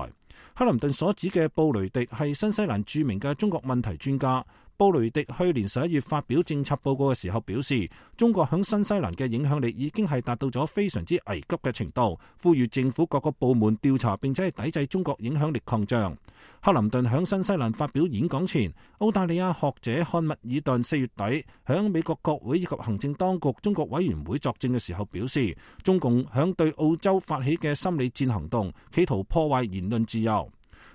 克林頓所指嘅布雷迪係新西蘭著名嘅中國問題專家。布雷迪去年十一月發表政策報告嘅時候表示，中國響新西蘭嘅影響力已經係達到咗非常之危急嘅程度，呼籲政府各個部門調查並且係抵制中國影響力擴張。克林頓響新西蘭發表演講前，澳大利亞學者漢密爾頓四月底響美國國會以及行政當局中國委員會作證嘅時候表示，中共響對澳洲發起嘅心理戰行動，企圖破壞言論自由。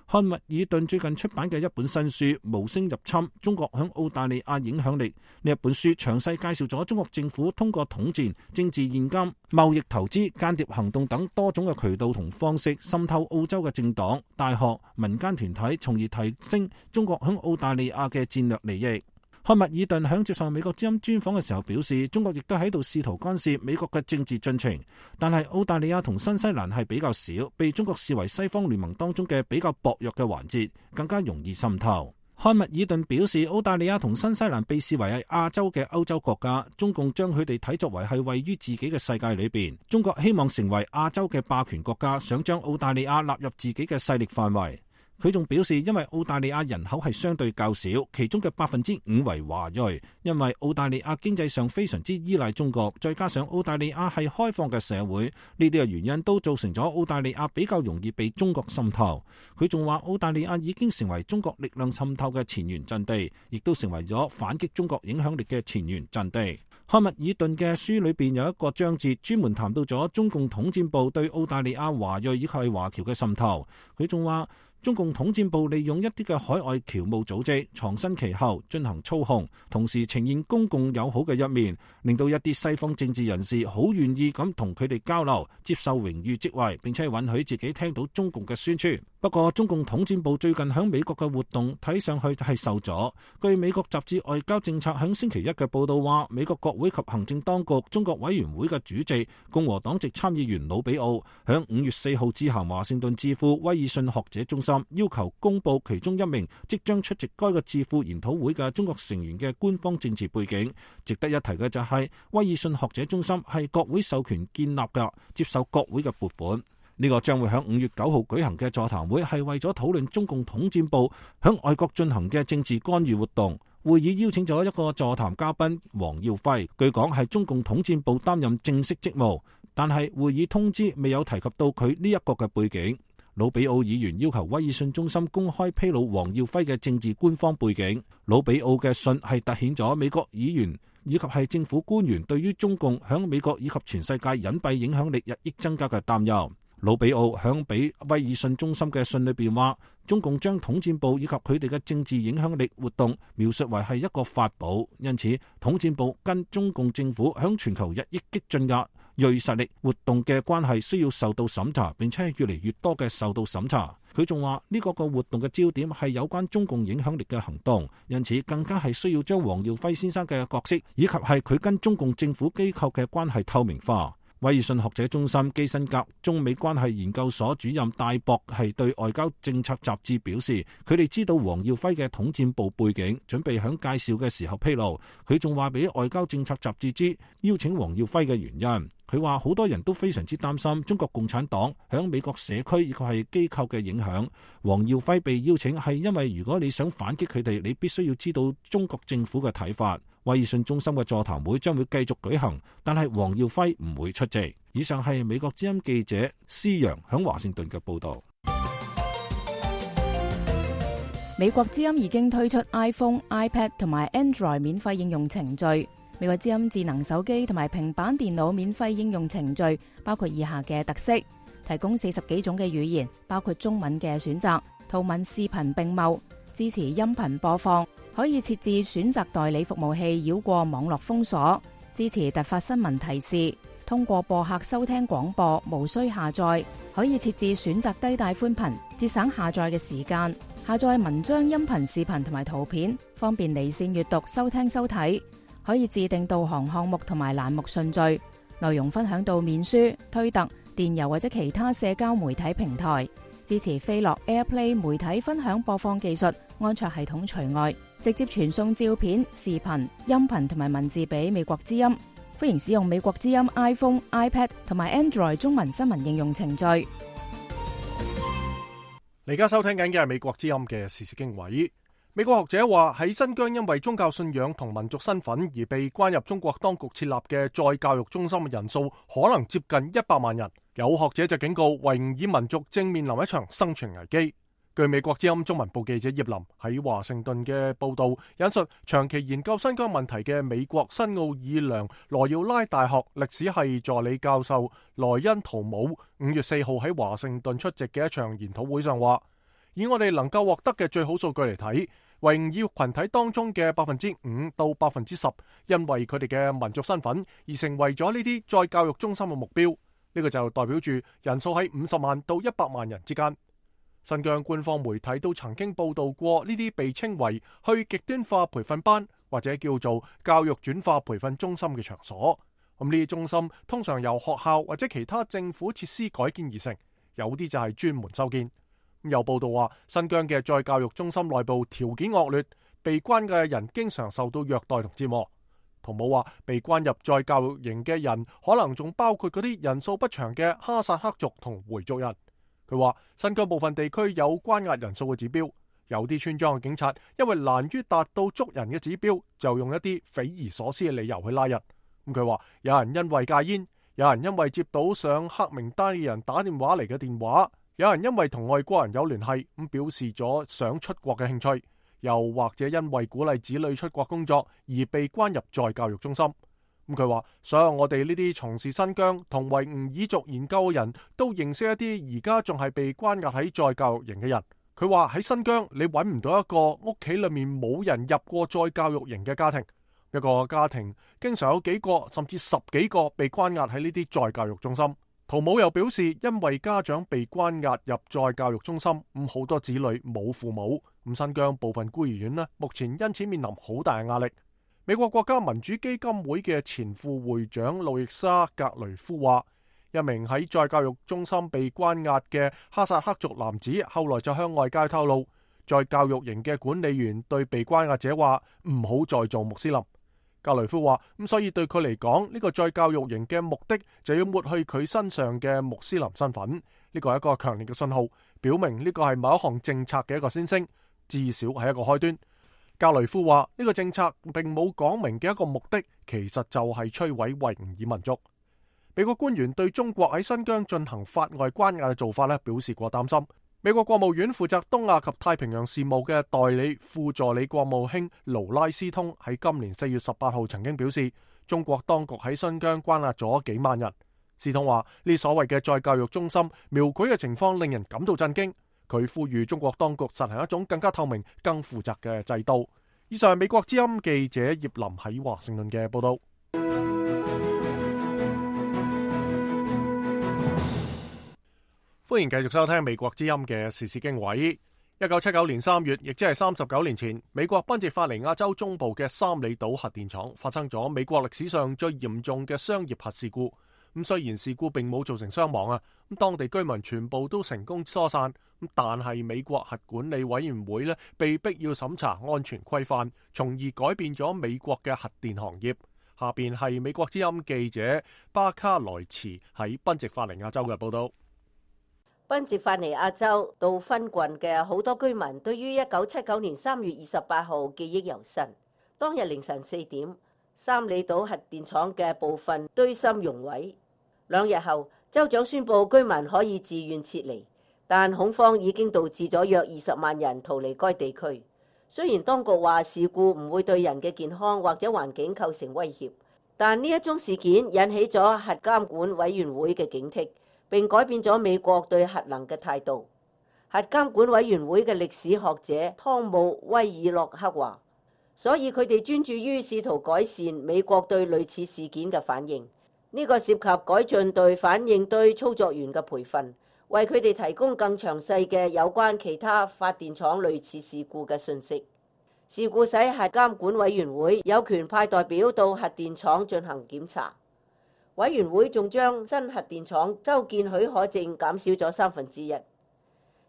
漢密爾頓最近出版嘅一本新書《無聲入侵：中國響澳大利亞影響力》，呢一本書詳細介紹咗中國政府通過統戰、政治現金、貿易投資、間諜行動等多種嘅渠道同方式滲透澳洲嘅政黨、大學、民間團體，從而提升中國響澳大利亞嘅戰略利益。漢密爾頓響接受美國之音專訪嘅時候表示，中國亦都喺度試圖干涉美國嘅政治進程，但係澳大利亞同新西蘭係比較少，被中國視為西方聯盟當中嘅比較薄弱嘅環節，更加容易滲透。漢密爾頓表示，澳大利亞同新西蘭被視為係亞洲嘅歐洲國家，中共將佢哋睇作為係位於自己嘅世界裏邊。中國希望成為亞洲嘅霸權國家，想將澳大利亞納入自己嘅勢力範圍。佢仲表示，因為澳大利亞人口係相對較少，其中嘅百分之五為華裔，因為澳大利亞經濟上非常之依賴中國，再加上澳大利亞係開放嘅社會，呢啲嘅原因都造成咗澳大利亞比較容易被中國滲透。佢仲話，澳大利亞已經成為中國力量滲透嘅前沿陣地，亦都成為咗反擊中國影響力嘅前沿陣地。漢密爾頓嘅書裏邊有一個章節專門談到咗中共統戰部對澳大利亞華裔以及華僑嘅滲透。佢仲話，中共統戰部利用一啲嘅海外僑務組織藏身其後進行操控，同時呈現公共友好嘅一面，令到一啲西方政治人士好願意咁同佢哋交流，接受榮譽職位，並且允許自己聽到中共嘅宣傳。不過中共統戰部最近響美國嘅活動睇上去係受阻。據美國雜誌外交政策響星期一嘅報道話，美國國會及行政當局中國委員會嘅主席共和黨籍參議員魯比奧響五月四號致函華盛頓智庫威爾遜學者中心，要求公布其中一名即將出席該個智庫研討會嘅中國成員嘅官方政治背景。值得一提嘅就係威爾遜學者中心係國會授權建立嘅，接受國會嘅撥款。呢個將會喺五月九號舉行嘅座談會係為咗討論中共統戰部響外國進行嘅政治干預活動。會議邀請咗一個座談嘉賓黃耀輝，據講係中共統戰部擔任正式職務，但係會議通知未有提及到佢呢一個嘅背景。魯比奧議員要求威爾遜中心公開披露黃耀輝嘅政治官方背景。魯比奧嘅信係凸顯咗美國議員以及係政府官員對於中共響美國以及全世界隱蔽影響力日益增加嘅擔憂。魯比奧響俾威爾遜中心嘅信裏邊話，中共將統戰部以及佢哋嘅政治影響力活動描述為係一個法寶，因此統戰部跟中共政府響全球日益激進嘅銳實力活動嘅關係需要受到審查，並且越嚟越多嘅受到審查。佢仲話呢個個活動嘅焦點係有關中共影響力嘅行動，因此更加係需要將黃耀輝先生嘅角色以及係佢跟中共政府機構嘅關係透明化。威爾遜學者中心基辛格中美關係研究所主任戴博係對外交政策雜誌表示，佢哋知道黃耀輝嘅統戰部背景，準備響介紹嘅時候披露。佢仲話俾外交政策雜誌知邀請黃耀輝嘅原因。佢話好多人都非常之擔心中國共產黨響美國社區以及係機構嘅影響。黃耀輝被邀請係因為如果你想反擊佢哋，你必須要知道中國政府嘅睇法。威爾遜中心嘅座談會將會繼續舉行，但係黃耀輝唔會出席。以上係美國之音記者施陽響華盛頓嘅報道。美國之音已經推出 iPhone、iPad 同埋 Android 免費應用程序。美國之音智能手機同埋平板電腦免費應用程序包括以下嘅特色：提供四十幾種嘅語言，包括中文嘅選擇，圖文視頻並茂，支持音頻播放，可以設置選擇代理服務器繞過網絡封鎖，支持突發新聞提示，通過播客收聽廣播，無需下載，可以設置選擇低帶寬頻，節省下載嘅時間，下載文章、音頻、視頻同埋圖片，方便離線閱讀、收聽收睇，可以自定導航項目同埋欄目順序，內容分享到面書、推特、電郵或者其他社交媒體平台，支持飛樂 AirPlay 媒體分享播放技術，安卓系統除外，直接傳送照片、視頻、音頻同埋文字俾美國之音。歡迎使用美國之音 iPhone、iPad 同埋 Android 中文新聞應用程序。你而家收聽緊嘅係美國之音嘅時事經緯。美國學者話喺新疆因為宗教信仰同民族身份而被關入中國當局設立嘅再教育中心嘅人數可能接近一百萬人。有學者就警告維吾爾民族正面臨一場生存危機。據美國之音中文部記者葉林喺華盛頓嘅報道引述，長期研究新疆問題嘅美國新奧爾良羅耀拉大學歷史系助理教授萊恩圖姆五月四號喺華盛頓出席嘅一場研討會上話，以我哋能夠獲得嘅最好數據嚟睇，維吾爾群體當中嘅百分之五到百分之十因為佢哋嘅民族身份而成為咗呢啲再教育中心嘅目標。呢個就代表住人數喺五十萬到一百萬人之間。新疆官方媒體都曾經報道過呢啲被稱為去極端化培訓班或者叫做教育轉化培訓中心嘅場所。咁呢啲中心通常由學校或者其他政府設施改建而成，有啲就係專門修建。有報道話，新疆嘅再教育中心內部條件惡劣，被關嘅人經常受到虐待同折磨。圖姆話，被關入再教育營嘅人可能仲包括嗰啲人數不詳嘅哈薩克族同回族人。佢話新疆部分地區有關押人數嘅指標，有啲村莊嘅警察因為難於達到捉人嘅指標，就用一啲匪夷所思嘅理由去拉人。咁佢話有人因為戒煙，有人因為接到上黑名單嘅人打電話嚟嘅電話，有人因為同外國人有聯繫咁表示咗想出國嘅興趣，又或者因為鼓勵子女出國工作而被關入再教育中心。咁佢話，所有我哋呢啲從事新疆同維吾爾族研究嘅人都認識一啲而家仲係被關押喺再教育營嘅人。佢話喺新疆你揾唔到一個屋企裏面冇人入過再教育營嘅家庭，一個家庭經常有幾個甚至十幾個被關押喺呢啲再教育中心。圖姆又表示，因為家長被關押入再教育中心，咁好多子女冇父母，咁新疆部分孤兒院呢，目前因此面臨好大嘅壓力。美國國家民主基金會嘅前副會長路易莎格雷夫話，一名喺再教育中心被關押嘅哈薩克族男子後來就向外界透露，再教育營嘅管理員對被關押者話唔好再做穆斯林。格雷夫話，咁所以對佢嚟講，呢個再教育營嘅目的就要抹去佢身上嘅穆斯林身份。呢個係一個強烈嘅信號，表明呢個係某一項政策嘅一個先聲，至少係一個開端。格雷夫話，呢個政策並冇講明嘅一個目的，其實就係摧毀維吾爾民族。美國官員對中國喺新疆進行法外關押嘅做法咧表示過擔心。美國國務院負責東亞及太平洋事務嘅代理副助理國務卿勞拉斯通喺今年四月十八號曾經表示，中國當局喺新疆關押咗幾萬人。斯通話呢所謂嘅再教育中心描繪嘅情況令人感到震驚。佢呼籲中國當局實行一種更加透明、更負責嘅制度。以上係美國之音記者葉林喺華盛頓嘅報道。歡迎繼續收聽美國之音嘅時事經緯。一九七九年三月，亦即係三十九年前，美國賓夕法尼亞州中部嘅三里島核電廠發生咗美國歷史上最嚴重嘅商業核事故。咁雖然事故並冇造成傷亡啊，咁當地居民全部都成功疏散。咁但係美國核管理委員會呢，被逼要審查安全規範，從而改變咗美國嘅核電行業。下邊係美國之音記者巴卡萊茨喺賓夕法尼亞州嘅報道。賓夕法尼亞州杜芬郡嘅好多居民對於一九七九年三月二十八號記憶猶新。當日凌晨四點，三里島核電廠嘅部分堆芯熔毀。兩日後，州長宣布居民可以自願撤離，但恐慌已經導致咗約二十萬人逃離該地區。雖然當局話事故唔會對人嘅健康或者環境構成威脅，但呢一宗事件引起咗核監管委員會嘅警惕，並改變咗美國對核能嘅態度。核監管委員會嘅歷史學者湯姆威爾洛克話，所以佢哋專注於試圖改善美國對類似事件嘅反應。呢個涉及改進對反應堆操作員嘅培訓，為佢哋提供更詳細嘅有關其他發電廠類似事故嘅信息。事故使核監管委員會有權派代表到核電廠進行檢查。委員會仲將新核電廠修建許可證減少咗三分之一。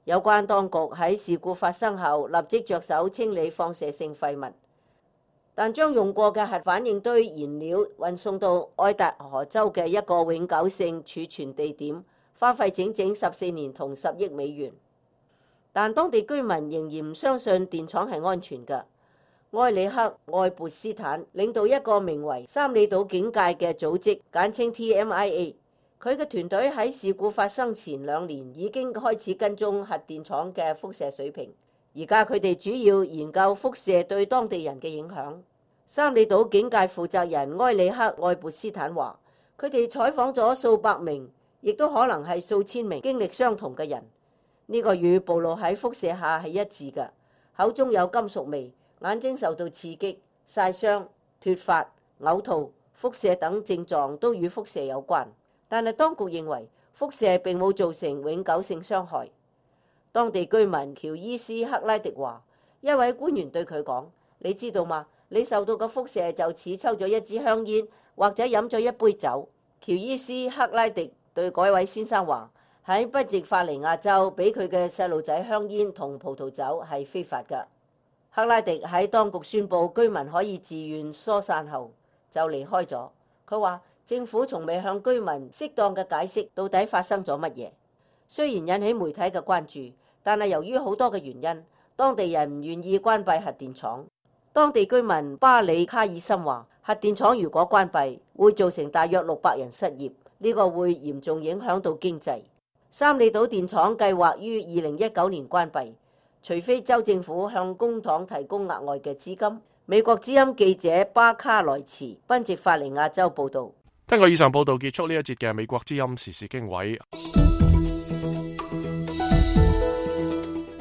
有關當局喺事故發生後立即着手清理放射性廢物，但將用過嘅核反應堆燃料運送到愛達荷州嘅一個永久性儲存地點，花費整整十四年同十億美元。但當地居民仍然唔相信電廠係安全嘅。埃里克愛潑斯坦領導一個名為三里島警戒嘅組織，簡稱 T M I A。佢嘅團隊喺事故發生前兩年已經開始跟蹤核電廠嘅輻射水平。而家佢哋主要研究輻射對當地人嘅影響。三里島警戒負責人埃里克愛潑斯坦話，佢哋採訪咗數百名，亦都可能係數千名經歷相同嘅人。呢、這個與暴露喺輻射下係一致嘅，口中有金屬味，眼睛受到刺激、曬傷、脫髮、嘔吐、輻射等症狀都與輻射有關。但係當局認為輻射並冇造成永久性傷害。當地居民喬伊斯克拉迪話，一位官員對佢講，你知道嗎？你受到嘅輻射就似抽咗一支香煙或者飲咗一杯酒。喬伊斯克拉迪對嗰位先生話，喺賓夕法尼亞州俾佢嘅細路仔香煙同葡萄酒係非法㗎。克拉迪喺當局宣布居民可以自願疏散後就離開咗。佢話政府從未向居民適當嘅解釋到底發生咗乜嘢。雖然引起媒體嘅關注，但係由於好多嘅原因，當地人唔願意關閉核電廠。當地居民巴里卡爾森話，核電廠如果關閉，會造成大約六百人失業，呢個會嚴重影響到經濟。三里島電廠計劃於二零一九年關閉，除非州政府向工廠提供額外嘅資金。美國之音記者巴卡萊茨，賓夕法尼亞州報道。聽過以上報道，結束呢一節嘅美國之音時事經緯。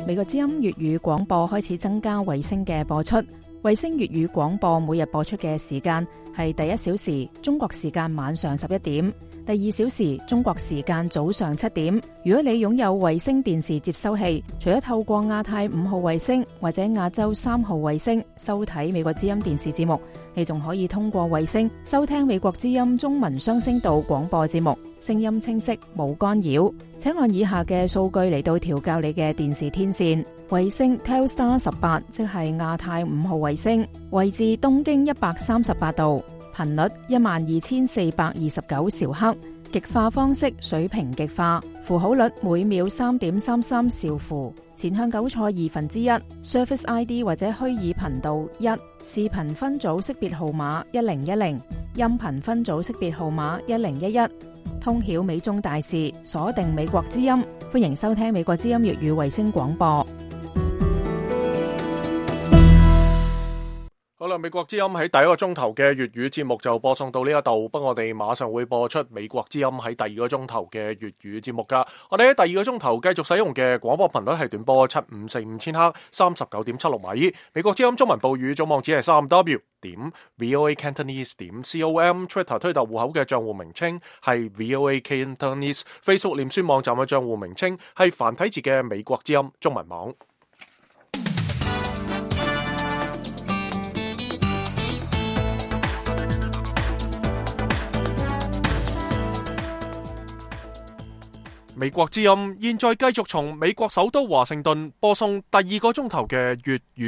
美國之音粵語廣播開始增加衛星嘅播出。衛星粵語廣播每日播出嘅時間係第一小時中國時間晚上十一點，第二小時中國時間早上七點。如果你擁有衛星電視接收器，除咗透過亞太五號衛星或者亞洲三號衛星收睇美國之音電視節目，你仲可以通過衛星收聽美國之音中文雙聲道廣播節目，聲音清晰冇干擾。請按以下嘅數據嚟到調校你嘅電視天線。衛星 Telstar 十八，即係亞太五號衛星，位置東經一百三十八度，頻率一萬二千四百二十九兆赫，極化方式水平極化，符號率每秒三點三三兆符，前向糾錯二分之一 ，Surface I D 或者虛擬頻道一，視頻分組識別號碼一零一零，音頻分組識別號碼一零一一。通曉美中大事，鎖定美國之音，歡迎收聽美國之音粵語衛星廣播。好啦，美國之音喺第一個鐘頭嘅粵語節目就播送到呢一度，不過我哋馬上會播出美國之音喺第二個鐘頭嘅粵語節目噶。我哋喺第二個鐘頭繼續使用嘅廣播頻率係短波七五四五千赫，三十九點七六米。美國之音中文報語總網址係三 w 點 voa cantonese 點 com，Twitter 推特戶口嘅賬戶名稱係 voa cantonese，Facebook 臉書網站嘅賬戶名稱係繁體字嘅美國之音中文網。美國之音現在繼續從美國首都華盛頓播送第二個鐘頭嘅粵語。